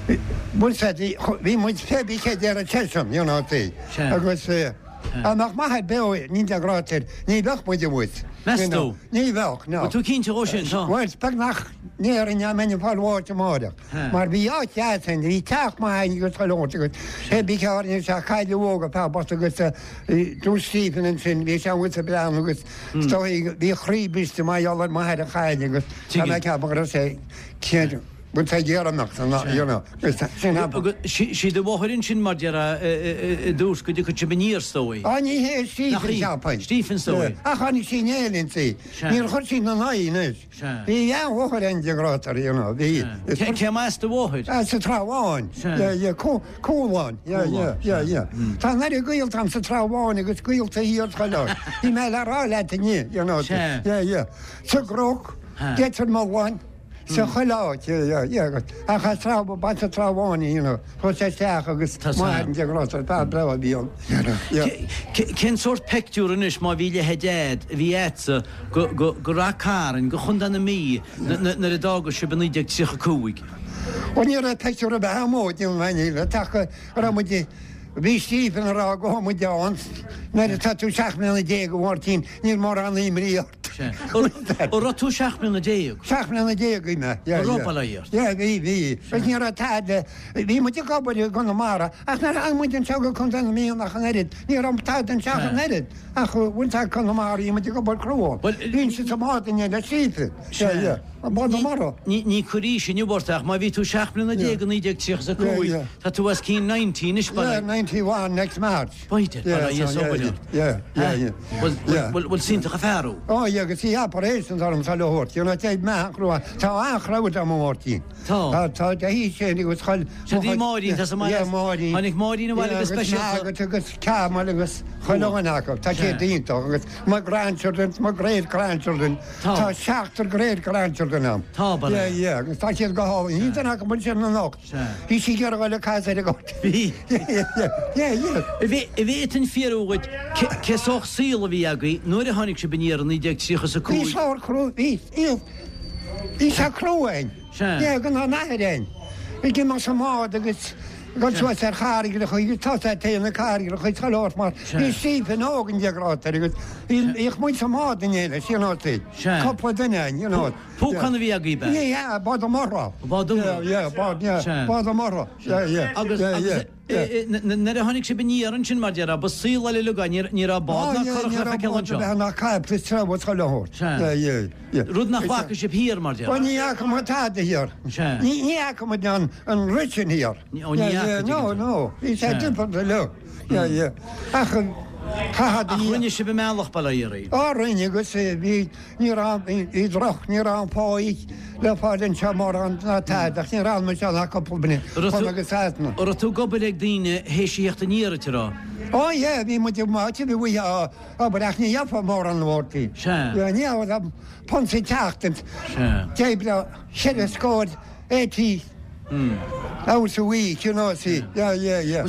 bhfuil fhios a'd, bhí muid pé bí cé déarfadh seisean, you know, see, agus. Dá mbeadh m'athair beo ní de ghrátar, ní bheadh muid abhus. Meas tú? Ní bheadh, no. Bhfuil tú cinnte dhó sin, tá? Bhuel, is beag nach ndéarfainn dá mbeinn ag fáil bháis amáireach. Mar bhí áit dheas ann, bhí teach maith ann agus chuile shórt agus hé bí cearr anois ach cailleadh óg a fear bocht agus dúirt Stephen ansin, bhí sé amuigh sa bplean agus is dóigh bhí a chroí briste mar gheall ar m'athair a chailleadh agus tá mé ag ceapadh go raibh sé céad bhfuil sé ag iarraidh imeacht an you know agus sin ab Agus sí do mháthair ansin mar déarfá i dtús go dtiocfadh sibh aniar is dóigh. Á ní hé Nach Stephen í? cheapfainn. Stephen is dóigh. Ach tháinig sí in éineacht léi. Sea. Níor chuir sí ina n-aghaidh anois. Sea. Bhí a mháthair ann de ghrátar you know bhí. Cé cé as do mháthair? Ah, sa Trá Bháin. Sea. Yeah, yeah, Cú- Cúlán. Yeah, yeah, yeah, yeah. Tá an oiread gaolta agam sa Trá Bháin agus gaolta thiar chuile áit. Bhí mé le rá leat inniu, you know. Sea. Yeah, yeah. Sa gCnoc, Ha. Leitir Mealláin, sa chuile áit, yeah, yeah, yeah. Ach as Trá, ba sa Trá Bháin, you know. Chuaigh sé isteach agus Tá m'athair de ghrátar, fear breá a bhí ann. You know, yeah. Cé- Cén sórt pictiúr anois má bhí leithéid Dad a bhí agatsa go go go Ráth Cairn, go Chontae na Mí nuair a d'fhága sibh i naoi déag tríocha cúig? Ó ní raibh pictiúr ar bith agam ó déanamh aon ach go raibh muid bhí Stephen ag rá go raibh muid ann nuair atá tú seacht mbliana déag a Mháirtín níl mórán imní ort. An raibh tú seacht mbliana déag? Seacht mbliana déag bhí mé. An raibh bail ó Dhia ort? Yeah, bhí, bhí. Agus ní raibh tada, bhí muid ag obair i gConamara ach nuair a tháinig muid anseo go Contae na Mí ach an oiread, ní raibh tada anseo ach an oiread. Ach bhain tá Conamara, bhí muid ag obair crua. Bhuel, Bhí siad sa mbád inné le Stephen. Yeah, yeah. An bád mara. Ní ní cur aois inniu ort ach má bhí tú seacht mbliana déag i naoi déag tríocha a cúig, Yeah, yeah. tá tú os cionn ninety anois Yeah, ninety-one next March. B'fhéidir, Yeah, bail ó Dhia so, is obair yeah, ort. yeah, yeah, yeah. Bhuel Yeah. bhuel bhuel iontach an fear thú. Oh, yeah, agus í operation orm sa le hort, you know, tá me crua, tá an-chrowd am Máirtín. Tá. Tá, tá, hí sin agus chuil. Sé dí Máirín, tá sa mbaile. Yeah, Máirín. Tháinig Máirín abhaile go speisialta. Agus agus Ceamal agus chuile dhuine acu, tá siad iontach agus my grandchildren, my great grandchildren. Tá. Tá seachtar great grandchildren am. Tá, bail ó Yeah, Dhia. yeah, agus tá siad go hálainn. Ní duine acu sin na nocht. Sea. Bhí sí ag iarraidh le cas ar a gort. Bhí. Yeah, yeah, yeah, yeah. Bhí bhí an fiarú dhuit cé sórt saol a bhí agaibh nuair a tháinig sibh aniar i naoi déag tríocha a Bhí cúig. sár crua, bhí, bhí, bhí sé crua ann. Sea. Yeah, go an athair ann. Bhí gin sa mbád agus go suas ar charraig chuig tá té na carraig chuig chalát mar bhí Stephen óg an deagrátar agus bhí muid sa mbád in éile, sin nó Sea. Cúpla duine ann, you know. Púcán a bhí agaibh be? Yeah, yeah, bád mara. Bád mara. Yeah, yeah, bád, yeah, Sea. bád mara. Yeah, yeah. Agus yeah, agus yeah, yeah. e- e- nuair a tháinig sibh aniar ansin mar déarfá ba saol eile uilig é, ní raibh bád ná curach le feiceáil anseo. ná caip tre chuile shórt. Sea. Yeah, yeah, yeah. Rud nach bhfaca sibh thiar mar Well, déarfá. ní fhaca muid tada thiar. Sea. Ní ní fhaca muid an an rud sin thiar. Ní- ó, ní Yeah, fhaca yeah, No, tuigeann tú. no. Bhí sé Sea. different le. Yeah, yeah. Ach chaithfead Ach rinne sibh an mbealach bail ó Dhia oraibh. Á rinne agus eh, bhí ní raibh bhí droch ní raibh an pá le fáil anseo mórán ná tada ach ní raibh muid ach cúpla bliain Raibh tú- chun agus Sasana. An raibh tú ag obair ag daoine théis a theacht aniar a rá. Ó yeah, bhí muid máte bhí bhí obair ach ní gheofá mórán Mháirtín. Sea. Yeah, ní raibh punt sa tseachtain. Sea. D'oibreodh ceithre scór eighty hours a week, you know, see. Yeah, yeah, yeah.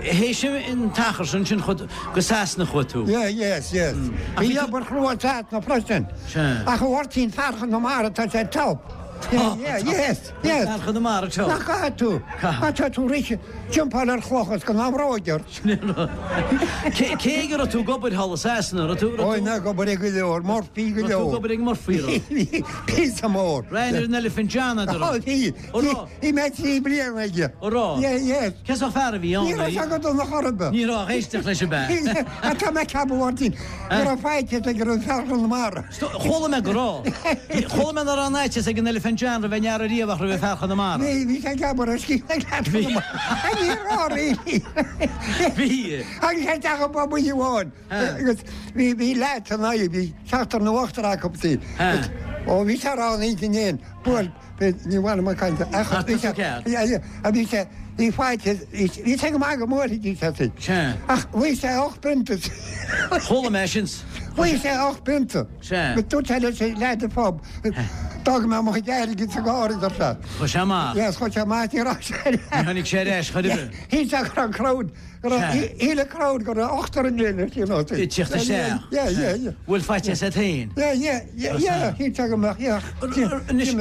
Théis an t-achar sin sin chud go Sasana chuaigh tú. Yeah, yes, yes. Ach Bhí bhí tú- obair chrua Sasana freisin. Sea. Ach a Mháirtín fear Chonamara tá sé top. Yeah, yeah, yes, yes. Fear Chonamara top. Nach caithfidh tú? Caithfidh. Tá tú rite jumpáil ar chlochas go n-amróidir. Cé cé go raibh tú ag obair thall i Sasana, raibh tú Oi, ná ag obair ag go leor, Murphy go raibh tú leor. ag obair ag Murphy raibh. Píosa mór. Rain ar an Elephant John a Ó, bhí. Ó, raibh. Bhí mé trí bliana aige. Ó, raibh. Yeah, yes. Cé sórt fear a bhí Ní raibh sé go dona chor ar bith. Ní raibh éisteacht leis an be. A tá mé ceapadh Mháirtín. Go raibh faitíos aige ar an fear Chonamara. Chuala mé go raibh. Chuala mé nach raibh an fhaitíos ag an Elephant John roimh aon fhear ariamh ach roimh fear Chonamara. Bhí bhí sé ceapadh ar scí Chonamara. A ní raibh really. Bhí. Agus sé teach an bobby amháin. Agus bhí bhí leat an aghaidh, bhí seachtar nó ochtar acu sí. Ha. Ó bhí sé rá an intinn éin, buail ní bhhaile mar cainte. Ach, tá tú ceart. A bhí sé bhí faitíos bhí sé go maith go mór sé sí. Sea. Ach bhí sé ocht bpionta. Chuala mé sin. Bhí sé ocht bpionta. Sea. Go dúirt sé leis an leaid an pub. D'fhág mé mo chuid airgid sa gcarr ar sé. Chuaigh sé amach. Yes, chuaigh sé amach ní raibh sé. Ní tháinig sé ar ais chor ar bith. Hí sé go raibh an crowd, go raibh Sea. híle crowd go raibh ochtar an léine, you know. I teacht isteach. Yeah, yeah, yeah. Bhfuil faitíos agat féin. Yeah, yeah, yeah, yeah, hí sé go mbeadh, yeah. Anois,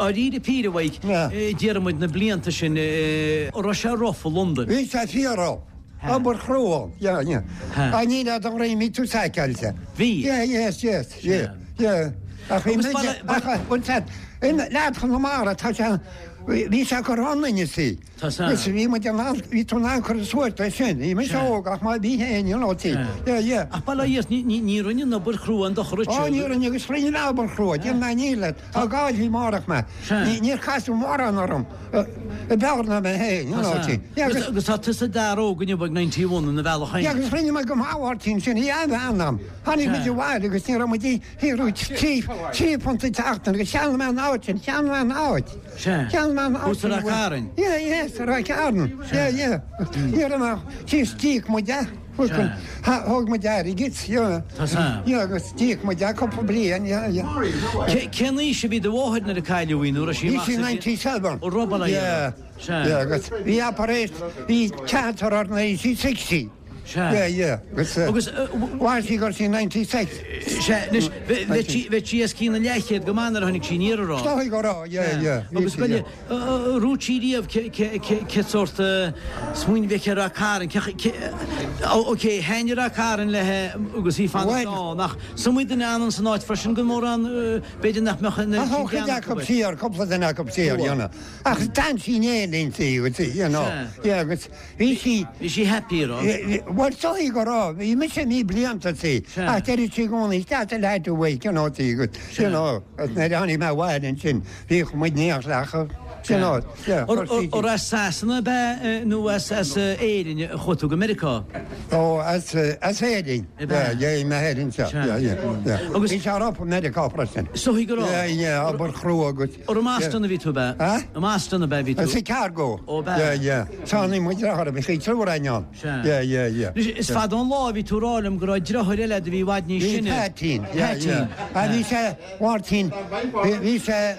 dáiríre píre mhaith, Yeah. déarfaidh muid na blianta sin, eh, raibh sé rough i Londain. Bhí sé fíor-rough. Obair chrua, yeah, yeah. Ha. A ní le don réimí tú saiceáilte. Bhí? Yeah, yes, yes, yeah, yeah. Ach bhí Agus muid- baile- baile- ach, bhuel, tá- in leath Chonamara, tá sé, bhí sé cur ionainn, see. Tá sé. Agus bhí muid in ann, bhí tú in ann cur suas leis sin. Bhí mise Sea. óg ach má bhí féin, you know, see. Sea. Yeah, yeah. Ach bail ó Dhia ort, ní, ní, ní rinne an obair chrua aon dochar duit. Ó, ní rinne agus rinne an obair chrua, déan mé ní leat. Tá gá bhí márach mé. Sea. Ní, níor casadh mórán orm. I b'fhearr ná mé féin, you know, see. Yeah, Agus agus, agus tá tusa d'fhear óg inniu ag ninety one ina bhealach yeah, féin. agus rinne mé go maith Mháirtín sin, í an-bhean Tháinig muid abhaile agus ní raibh muid ag trí, trí phunt an tseachtain agus cheannaigh mé an áit sin, cheannaigh mé an áit. Sea. Cheannaigh mé an áit. Thuas i Ráth Cairn. Yeah, yes, Ráth Cairn. Yeah, yeah. Ní raibh mé, síos d'íoc muid é. Sea. Thóg muid airgead, yeah. Tá sé. Yeah, agus d'íoc muid é cúpla bliain, yeah, yeah. Cé- Cén aois a bhí do mháthair nuair a cailleadh í nuair a sí Bhí amach sí sa bhliain- ninety seven. Ó raibh bail ó Dhia. Yeah. Sea. Yeah, agus bhí operation, bhí cancer ar na sí sixty. Sea. Yeah, yeah. Agus, uh, Agus, uh, w- mhair sí go raibh sí ninety six. Sea, anois, bhe- bheadh sí- bheadh sí os cionn an leathchéad go maith nuair a tháinig sí aniar a rá. Dóigh go raibh, yeah, yeah. Bhí Agus sí, baile, yeah. uh, uh, rúid sí riamh ce- ce- ce- ce sórt, uh, smaoineamh aici ar Ráth Cairn, ce- ce- ó, ok, thaitnigh Ráth Cairn léi agus í fanacht Bhuel. ann, ach is iomaí duine ann san áit freisin go mórán, uh, b'fhéidir nach mbeadh an- Ach ó, cuid acu siar, cúpla duine acu siar, you know. Ach d'fhan sí in Éirinn, see, you see, you know. Sea. Yeah, agus bhí sí, Bhí sí happy a rá. Bhuel, dóigh go raibh, bhí mise naoi blianta, see. Sea. Ach deireadh sí i gcónaí, "That's a lad awake," you know, see, agus, you know, agus nuair a tháinig mé abhaile ansin, bhíodh muid níos leacha, you know, yeah, Or chuir sí- or as Sasana ab ea, eh, nó as as, eh, Éirinn a chuaigh tú go Meiriceá? Ó, as, eh, as Éirinn. Ab ea? Yeah, yeah, mé Éirinn seo. Sea. Yeah, yeah, yeah. Agus- Bhí sé up i Meiriceá freisin. Is dóigh go raibh. Yeah, yeah, obair chrua agus. Or i mBoston a bhí tú ab ea? Huh? I mBoston ab ea bhí tú? As Chicago. Ó, ab ea? Yeah, yeah. Tháinig muid deartháir, bhí sí triúr againn ann. Sea. Yeah, yeah, yeah. Anois, is fada ón lá a bhí tú ag rá liom go raibh deartháir eile agat a bhí i bhfad níos Bhí sine. Patín, yeah, Patín. yeah. A bhí sé, Mháirtín, bhí bhí sé,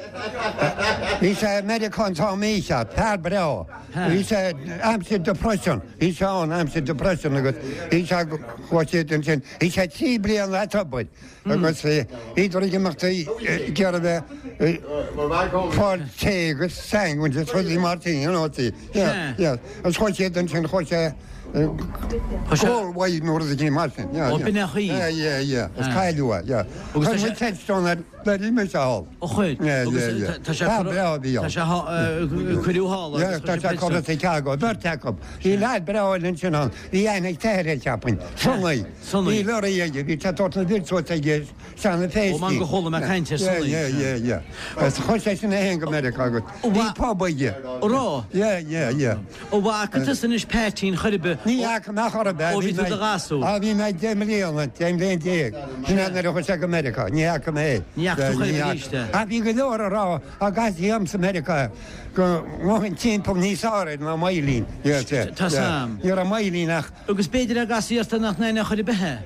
bhí sé Meiriceá an t-am seo, fear breá. Ha. Bhí sé aimsir depression, bhí sé ann aimsir depression agus bhí sé chuaigh siad ansin, bhí sé trí bliana at obair. Agus bhíodar ag imeacht ag iarraidh bheith fáil tae agus sandwich is rudaí mar sin, you know, see. Yeah, yeah. Agus chuaigh siad ansin, chuaigh sé Chuaigh sé- Galway nó rud éigin mar sin, yeah, Ó, yeah. b'in é chaoi. Yeah, yeah, yeah. Is Ah. cailleadh é, yeah. Agus tá Chuir sé- muid headstone ar le rí thall. Ó chuir. Yeah, Agus yeah, yeah. tá- tá sé Tá cur- breá a bhí ann. Tá sé há- eh, cuireadh thall Yeah, agus tá chuir sé sé curtha Chicago, beirt acu. Bhí leaid breá ansin ann, bhí aithne ag t'athair air cheapfainn. Sonny. Sonny. Bhí lorry aige, bhí sé tabhairt na bhfir aige seana féistí. Ó, man go chuala mé caint ar Yeah, Sonny. yeah, yeah, yeah. Agus chuir sé sin é féin go Meiriceá agus. Ó, Bhí wa- pub aige. Ó raibh? Yeah, yeah, yeah. Ó bhfaca tusa anois Patín chor ar bith. Ní fhaca mé chor ar bith. Ó, bhí tú do ghasúr. Á, bhí mé deich mbliana, deich mbliana déag. Sin é nuair a chuaigh sé go Meiriceá, ní fhaca mé é. Ní fhaca tú chor ar bith Ní arís é. Ach bhí go leor a rá, a gcaithfí am sa Meiriceá go ngabhann timpeall níos fearr ná Máilín. Yes, yeah, Tá yeah. sam. Ní raibh Máilín ach Agus b'fhéidir a gcasaíocht nach n-aon chor ar bith é.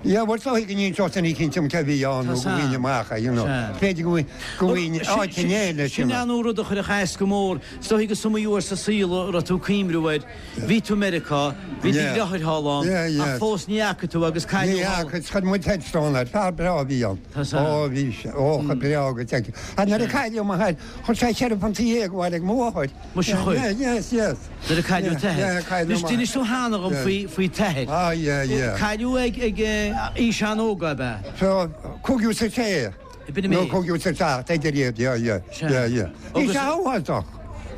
Yeah, bhuel so go níon seo ní cinn ce bhí an Tá nó go sam. bhíine amach, you know. Sea. B'fhéidir go bhfuil- go bhfuil áit in éile Sin an rud a chuir a chas go mór, is dóigh go is iomaí uair sa saol a raibh tú ag cuimhniú air. Bhí tú i Meiriceá, bhí do Yeah. dheartháir thall ann, Yeah, yeah. ach fós ní fhaca tú agus Ní cailleadh thall. fhaca, chuir muid headstone air, fear breá a bhí ann. Tá sam. Ó, bhí sé, ó, chomh breá go dtí. A nuair a cailleadh m'athair, chuir sé ceithre phunt dhéag abhaile ag mo mháthair. Muise chuir. Yeah, yes, yes. Nuair a cailleadh Yeah, t'athair. yeah, cailleadh Anois m'athair. d'inis tú cheana dhom Yeah. faoi faoi t'athair. Ah, yeah, yeah. Cailleadh ag ag eh, aois an-óg ab ea? So, cúigiú is a sé. B'in é Nó mé. cúigiú is a seacht, idir iad, yeah, yeah, Sea. yeah, yeah. Bhí Agus- sé áthasach.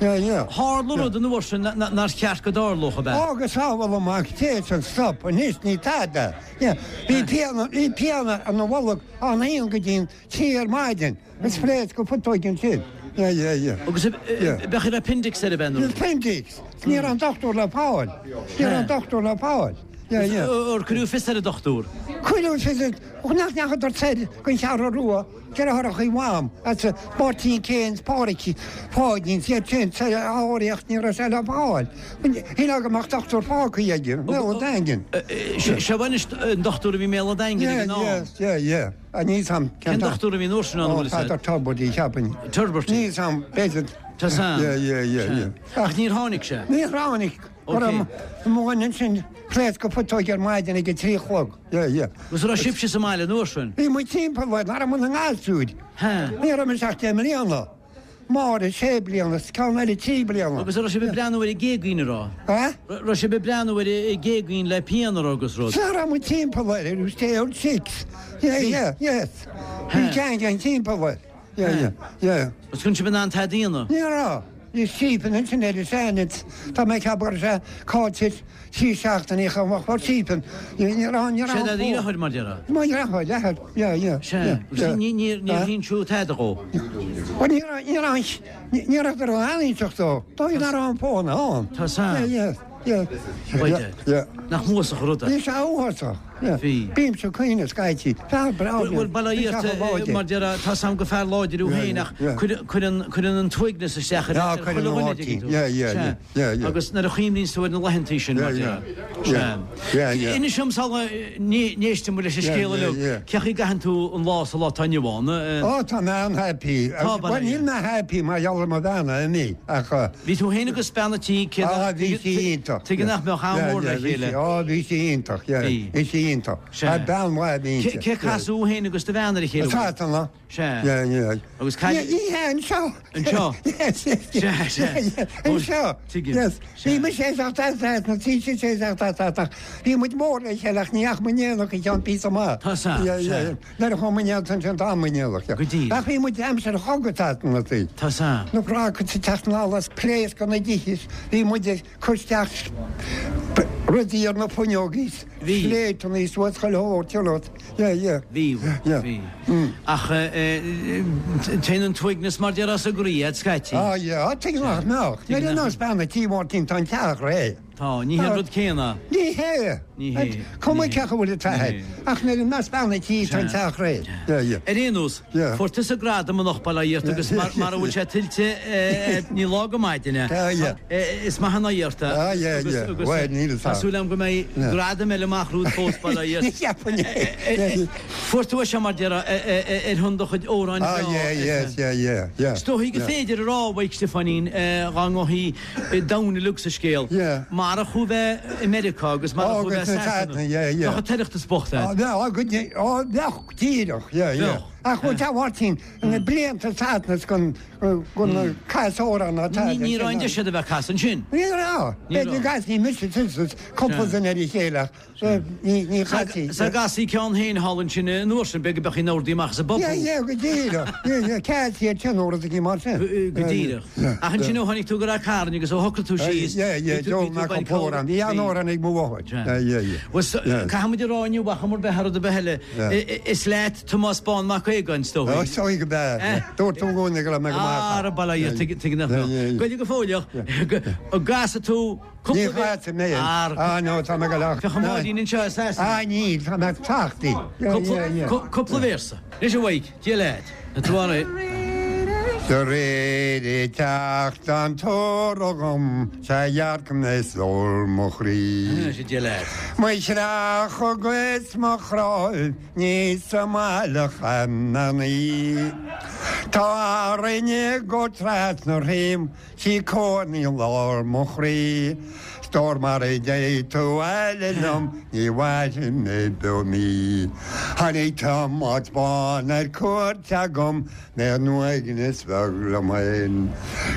Yeah, yeah. Tharla rud an uair sin nár cheart go dtarlódh ab ea? Agus sábháil amach téis an stop anois ní tada. Yeah. Bhí pian, bhí pian ina bholg ón aon go dtí an trí ar maidin. Is phléasc go putóig ansin. Yeah, yeah, yeah. Agus Yeah. bheadh ar appendix ar a bhean? Appendix. Ní raibh an dochtúir le fáil. Ní raibh an dochtúir le fáil. Yeah, yeah. Ar cuireadh fios ar an dochtúir. Cuireadh fios ar, nach ndeachadar soir gon Cheathrú Rua, deartháireacha Mham, as Máirtín Keynes, Pádraig, Páidín, siad sin, sa áiríocht ní raibh sé le fáil. Shílfeá go mbeadh dochtúir fágtha aige, Béal an Daingin. Seo anois an dochtúir a bhí i mBéal an Daingin ag Yeah, an am. yes, yeah, yeah. A níl a fhios a'm. Cén dochtúir a bhí an uair sin ann, an bhfuil a fhios Peadar Tubridy, cheapfainn. Tubridy. Níl a fhios a'm, b'fhéidir. Tá sam. Yeah, yeah, yeah, yeah. Ach níor tháinig sé. Níor tháinig. Okay. Mo sin phléasc go putóig ar maidin ag a trí a chlog. Yeah, yeah. Agus raibh sibhse sa mbaile an uair sin? Bhí muid timpeall, nach raibh muid inár ngasúir. Ha. Ní raibh mise ach deich mbliana. Máire sé bliana, is ceann eile trí bliana. Agus raibh sibh ag breathnú ar an gcéadaoin, an raibh? Eh? Raibh sibh ag breathnú ar an gcéadaoin le pian an raibh agus rud? Sea, raibh muid timpeall air, it was day old six. Yeah, yeah, yes. Bhí ceann timpeall air. Yeah, yeah, yeah. Agus an raibh sibh in ann tada a dhéanamh? Ní raibh. Bhí sípin ansin ar an seanit. Tá mé ag ceapadh go raibh sé caillte trí seachtainí chomh maith mar sípin. Ní raibh, ní raibh. Sé do dheartháir mar déarfá? Mo dheartháir, yeah, yeah, yeah. Sea. Yeah. Ní, ní, níor insíodh tada dhó. Bhuel, ní raibh, ní raibh, ní raibh go raibh aon inseacht dó. Tá ní raibh an fón ann. Tá san. Yeah, yeah, yeah. Right. Yeah. Nach uafásach an rud é? Bhí sé uafásach. Yeah. Bhí. Bímse ag caoineadh scaití. Fear breá. Bhuel, bail ó Dhia ort, mar déarfá, tá 's a'm gur fear láidir thú féin ach cuireann, cuireann an t-uaigneas isteach ar Yeah, chuile dhuine, dtuigeann tú. Yeah, yeah, Sea. yeah, yeah. Agus nuair a chuimhníonn tú ar na laethantaí sin, mar Yeah, déarfá. yeah. Sea. Yeah, yeah. Inis dom sula n-éisteann muid leis an Yeah, scéal yeah, uilig, yeah. cén chaoi a gcaitheann tú an lá sa lá atá inniu ann? Ó, tá mé an-happy. Tá, bail ó Bhuel, níl Dhia. mé happy mar gheall ar mo bhean a imí, ach uh, Bhí tú féin agus bean an tí, cé Ah, bhí sí iontach. Tuige nach mbeadh am mór le chéile. Á, bhí sí iontach, yeah. Bhí. Bhí sí iontach. Sea. A bean mhaith bhí Cé cé casadh thú féin agus do bhean ar a chéile? Sasana. Sea. Yeah, yeah. Agus cad- Yeah, yeah, anseo. Anseo? Yes, yes. Sea, sea. Yeah, yeah, Anseo. Tuigim. Yes. Sea. Bhí muid sé seacht as na trí sé sé seacht as ach bhí muid mór le chéile ach ní ach mu néach i ceann pí maith. Tá san, Yeah, sea. yeah. Nuair a chuaigh muid an sin tá mu néach. Go díreach. Ach bhí muid aimsir chogadh na tí. Tá san. Na práca sa teachnálas pléas go na dihis, bhí muid ag cur isteach rudaí ar na fuinneogaí. Bhí. Sléibhteanna suas chuile shórt, you know. Yeah, yeah. Bhí, Yeah. bhí. Ach téann an t-uaigneas mar déarfá as an gcroí a'd scaití. Ah, yeah, ah, tuig nach mbeadh. Tuig Nuair nach. a bean an tí Máirtín tá an teach réidh. Tá, ní hé an rud céanna. Ní hé. Ní hé. Cuma Ní hé. cé acu bhfuil Ní hé. Ach nuair a mbeas bean an tí tá an teach réidh. Yeah, yeah. Ar aon nós, Yeah. fuair tusa gradam anocht bail ó Dhia ort agus mar mar a bhfuil sé tuillte eh, ní lá go maidin. Yeah, yeah. Is maith an oidhreacht é. Ah, yeah, Agus- yeah. agus, Bhuel, níl fhios Tá agam. súil agam go mbeidh Yeah. gradam eile amach romhat fós bail ó Dhia ort. Ní cheapainn é. Yeah, yeah. Fuair tú é seo mar déarfá ar shon do chuid amhráin Ah, yeah, yes, yeah, yeah, yeah. Is dóichí go Yeah. féidir a rá a Mhaidhc Stiofáinín dá ngabhfaí domhan uilig sa scéal. Yeah. Marach thú bheith i Meiriceá agus marach Oh, thú bheith agus na Sasana. Sasana, yeah, yeah. Bheadh an tOireachtas bocht Ah, a'd. yeah, ah, go dtí- ah, bheadh díreach, yeah, yeah. Bheadh. Ach bhuel, tá Mháirtín, na blianta Sasana gon gon casóra ná Ní ní raibh an deis a bheith casan sin. Ní raibh. Ní B'fhéidir raibh. gas ní mise tusa, cúpla duine ar a chéile, ní ní chaití. Sa gasaí ceann féin thall ansin an uair sin, b'fhéidir go mbeadh in ordaí amach sa bpobal. Yeah, yeah, go díreach. Yeah, yeah, ceart iad sin uair a bhí mar sin. Go díreach. Ach ansin ó tháinig tú go Ráth Cairn agus ó shocraigh tú síos. Yeah, yeah, bhí tú- Joe bhí tú Mac bain an Póran. Bhí an Bhí. órán ag mo mháthair. Yeah, yeah, yeah. Bhuel, so- Yeah. Caithfimid a rá inniu ach mar bheith ar do bheile. Yeah. Is leat Tomás Bán Mac Aogáin is dóigh. Oh, sorry go bad. Eh. Dúirt tú gcónaí go raibh mé go maith. Ara bail ó Dhia tuig nach Yeah, yeah, yeah. Goide go fóilleach go gcasfaidh tú Ní chaite mé. Ar Ah, no, tá mé go leach. Féach an Máirín anseo is as. Ah, ní, tá mé tachtaí. Yeah, yeah, yeah. Cúpla véarsa. Anois a Mhaidhc, Dia leat. Na tuára. De réir i teacht an tógam sé dhearcam na sól mo chroí. Sé Dia leat. Mo chreach agus mo chrá ní sa mbaile cheana. Tá rinne go trasna réim sí cónaí lár mo chroí. Stór mar a dé tú eile liom ní bhfaigheann mé beo mí. Tháinig Tomás Bán ar cuairt agam mé an uaigneas bheag liom féin.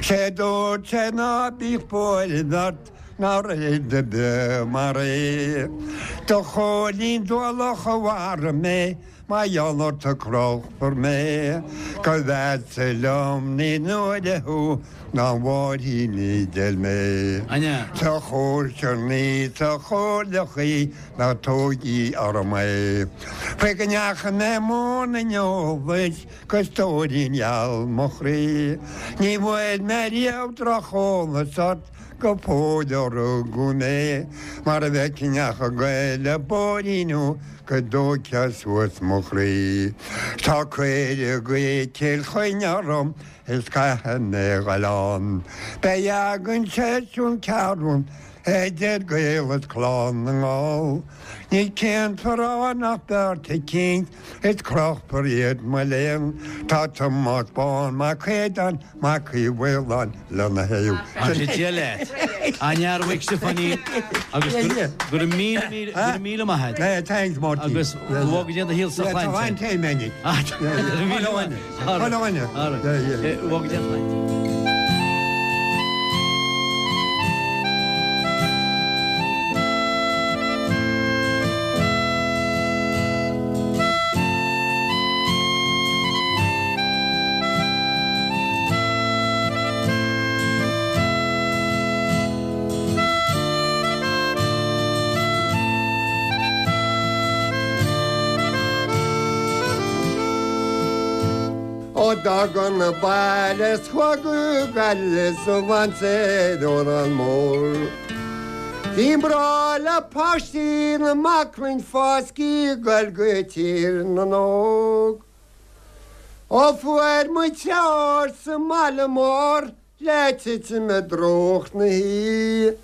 Sé dúirt sé ná bíodh buaireamh ort ná rud ar bith mar é. Do Chóilín Dualach a mharaigh mé, mar gheall ort a crochfar mé, go bhfeadsa liom ní nuair thú ná Mháirín ní d'fhill mé. Anja. Sa chóisir ní sa chóirlechaí ná tógaí orm é. Fé go ndeachaigh mé i mbun an eolais go stóirín gheal mo chroí. Ní bhfuair mé riamh drocheolas ort go fóill ó rugadh mé, mar a bheadh neach ag goil le bóithrín thú go dtóigfeá suas mo chroí. Tá cuireadh go Cill Chainnigh orm is caithfidh mé dhul ann. Beidh againn seisiún ceathrún Idir Gaeil is Clann na nGall. Ní céantar nach beart cinn is crochfar iad mo léan Tá Tomás Bán Mac Aodáin Mac Uí Mhaoláin lena thaobh. Dia leat. An-fhear Mhaidhc Stiofáinín agus go raibh míle míle go raibh míle maith agat. Thanks Máirtín. Agus go bhfága Dia do shaol sa tsláinte. Tá an Go bhfága Dia a shláinte. Ó d'fhág an baile 's chuaigh go Gaillimh sa bhainséir Órán Mór. Bhí mná le páistí na mbaclainn fáscaí ag goil go Tír na nÓg. Ó fuair muid treoir sa mbaile mór le titim i dtrúcht na hoíche,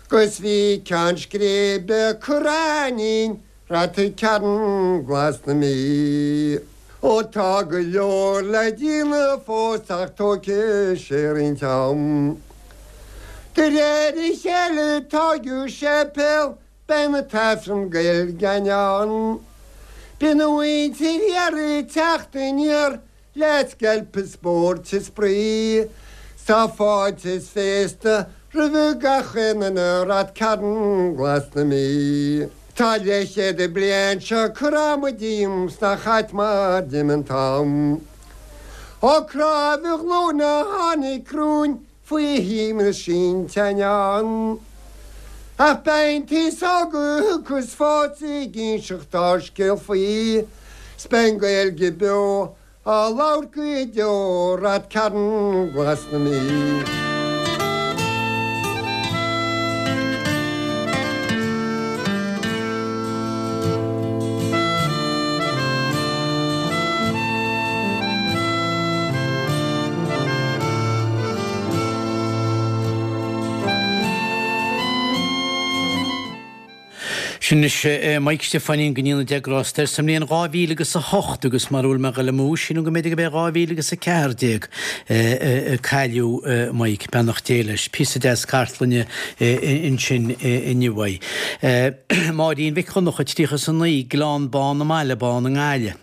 'gus bhí ceann scríbe curtha a'inn Ráth Cairn Glas na Mí. Ó tá go leor le déanamh fós ach tógfaidh sé roinnt am. De réir a chéile tógadh séipéal beidh na tAifreann Gaeilge ann. Bíonn an mhuintir thiar ag teacht aniar le sceilp is spórt is spraoi. Tá fáilte is féasta roimh gach aon duine Ráth Cairn Glas na Mí. Tá leathchéad bliain seo curtha amú díom 's nach ait mar d'imigh an t-am. Ó cnámh a ghlúine a tháinig romhainn faoi shuim na sínte ann. Ach beidh an t-aos óg a thiocfas fós ag inseacht ár scéal faoi 's beidh an Ghaeilge beo á labhairt go deo Ráth Cairn Glas na Mí. Sin anois Maidhc Stiofáinín go ndéana Dia grásta air sa mbliain dhá mhíle agus a hocht agus mar a bhfuil mé ag dul amú sílim go mb'fhéidir go b'é dhá mhíle agus a ceathair déag a cailleadh Maidhc, beannacht Dé leis. Píosa deas cartlainne ansin inniu uaidh. Máirín Mhic Dhonncha, tríocha is a naoi, Gleann Bán i mBaile Bán i nGaillimh.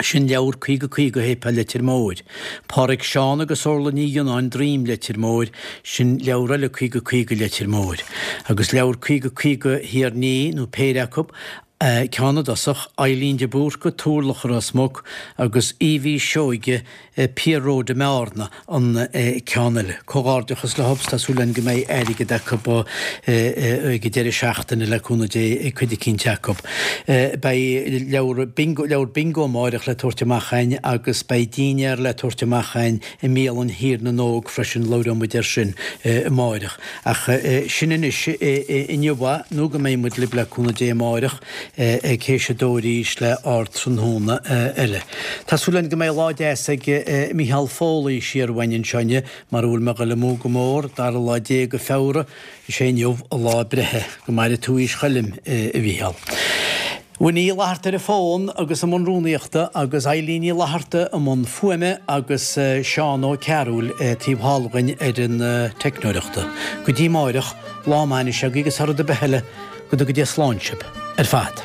Sin leabhar caoga caoga Shéipéal Leitir Móir. Pádraig Seán agus Orla Ní Ghionnáin Droim Leitir Móir, sin leabhar eile caoga caoga Leitir Móir. Agus leabhar caoga caoga Thír an Fhia, nó péire acu, ceann i dtosach, Eileen de Búrca, Turlach i Ros Muc, agus Evie Seoige, Pier Road i mBearna an ceann eile. Comhghairdeachas leo tá súil againn go mbeidh airgead acu ag an deireadh seachtaine le cúnamh Dé ag cuid eicínt acu. Beidh leabhar bingo, leabhar bingo amáireach le tabhairt amach againn agus beidh dinnéar le tabhairt amach againn i mbialann Thír na nÓg freisin, labhróidh muid air sin amáireach. Ach sin anois inniu nó go mbeidh muid libh le cúnamh Dé amáireach ag théis a dó arís le Ardtráthnóna eile. Tá súil againn go mbeidh lá deas ag Micheál Foley siar uainn anseo inniu, mar a bhfuil mé ag dul amú go mór, dara lá déag de Feabhra, is é inniu a lá breithe. Go maire tú aois Choilm, a Mhicheáil. Winnie Uí Fhlatharta ar an bhfón agus i mbun rúnaíochta agus Eileen Ní Fhlatharta i mbun fuaime agus Seán Ó Cearúil taobh thall againn ar an teicneoireachta. Go dtí amáireach, lá maith anois agaibh agus thar rud ar bith eile, go dtuga Dia slán sibh ar fad.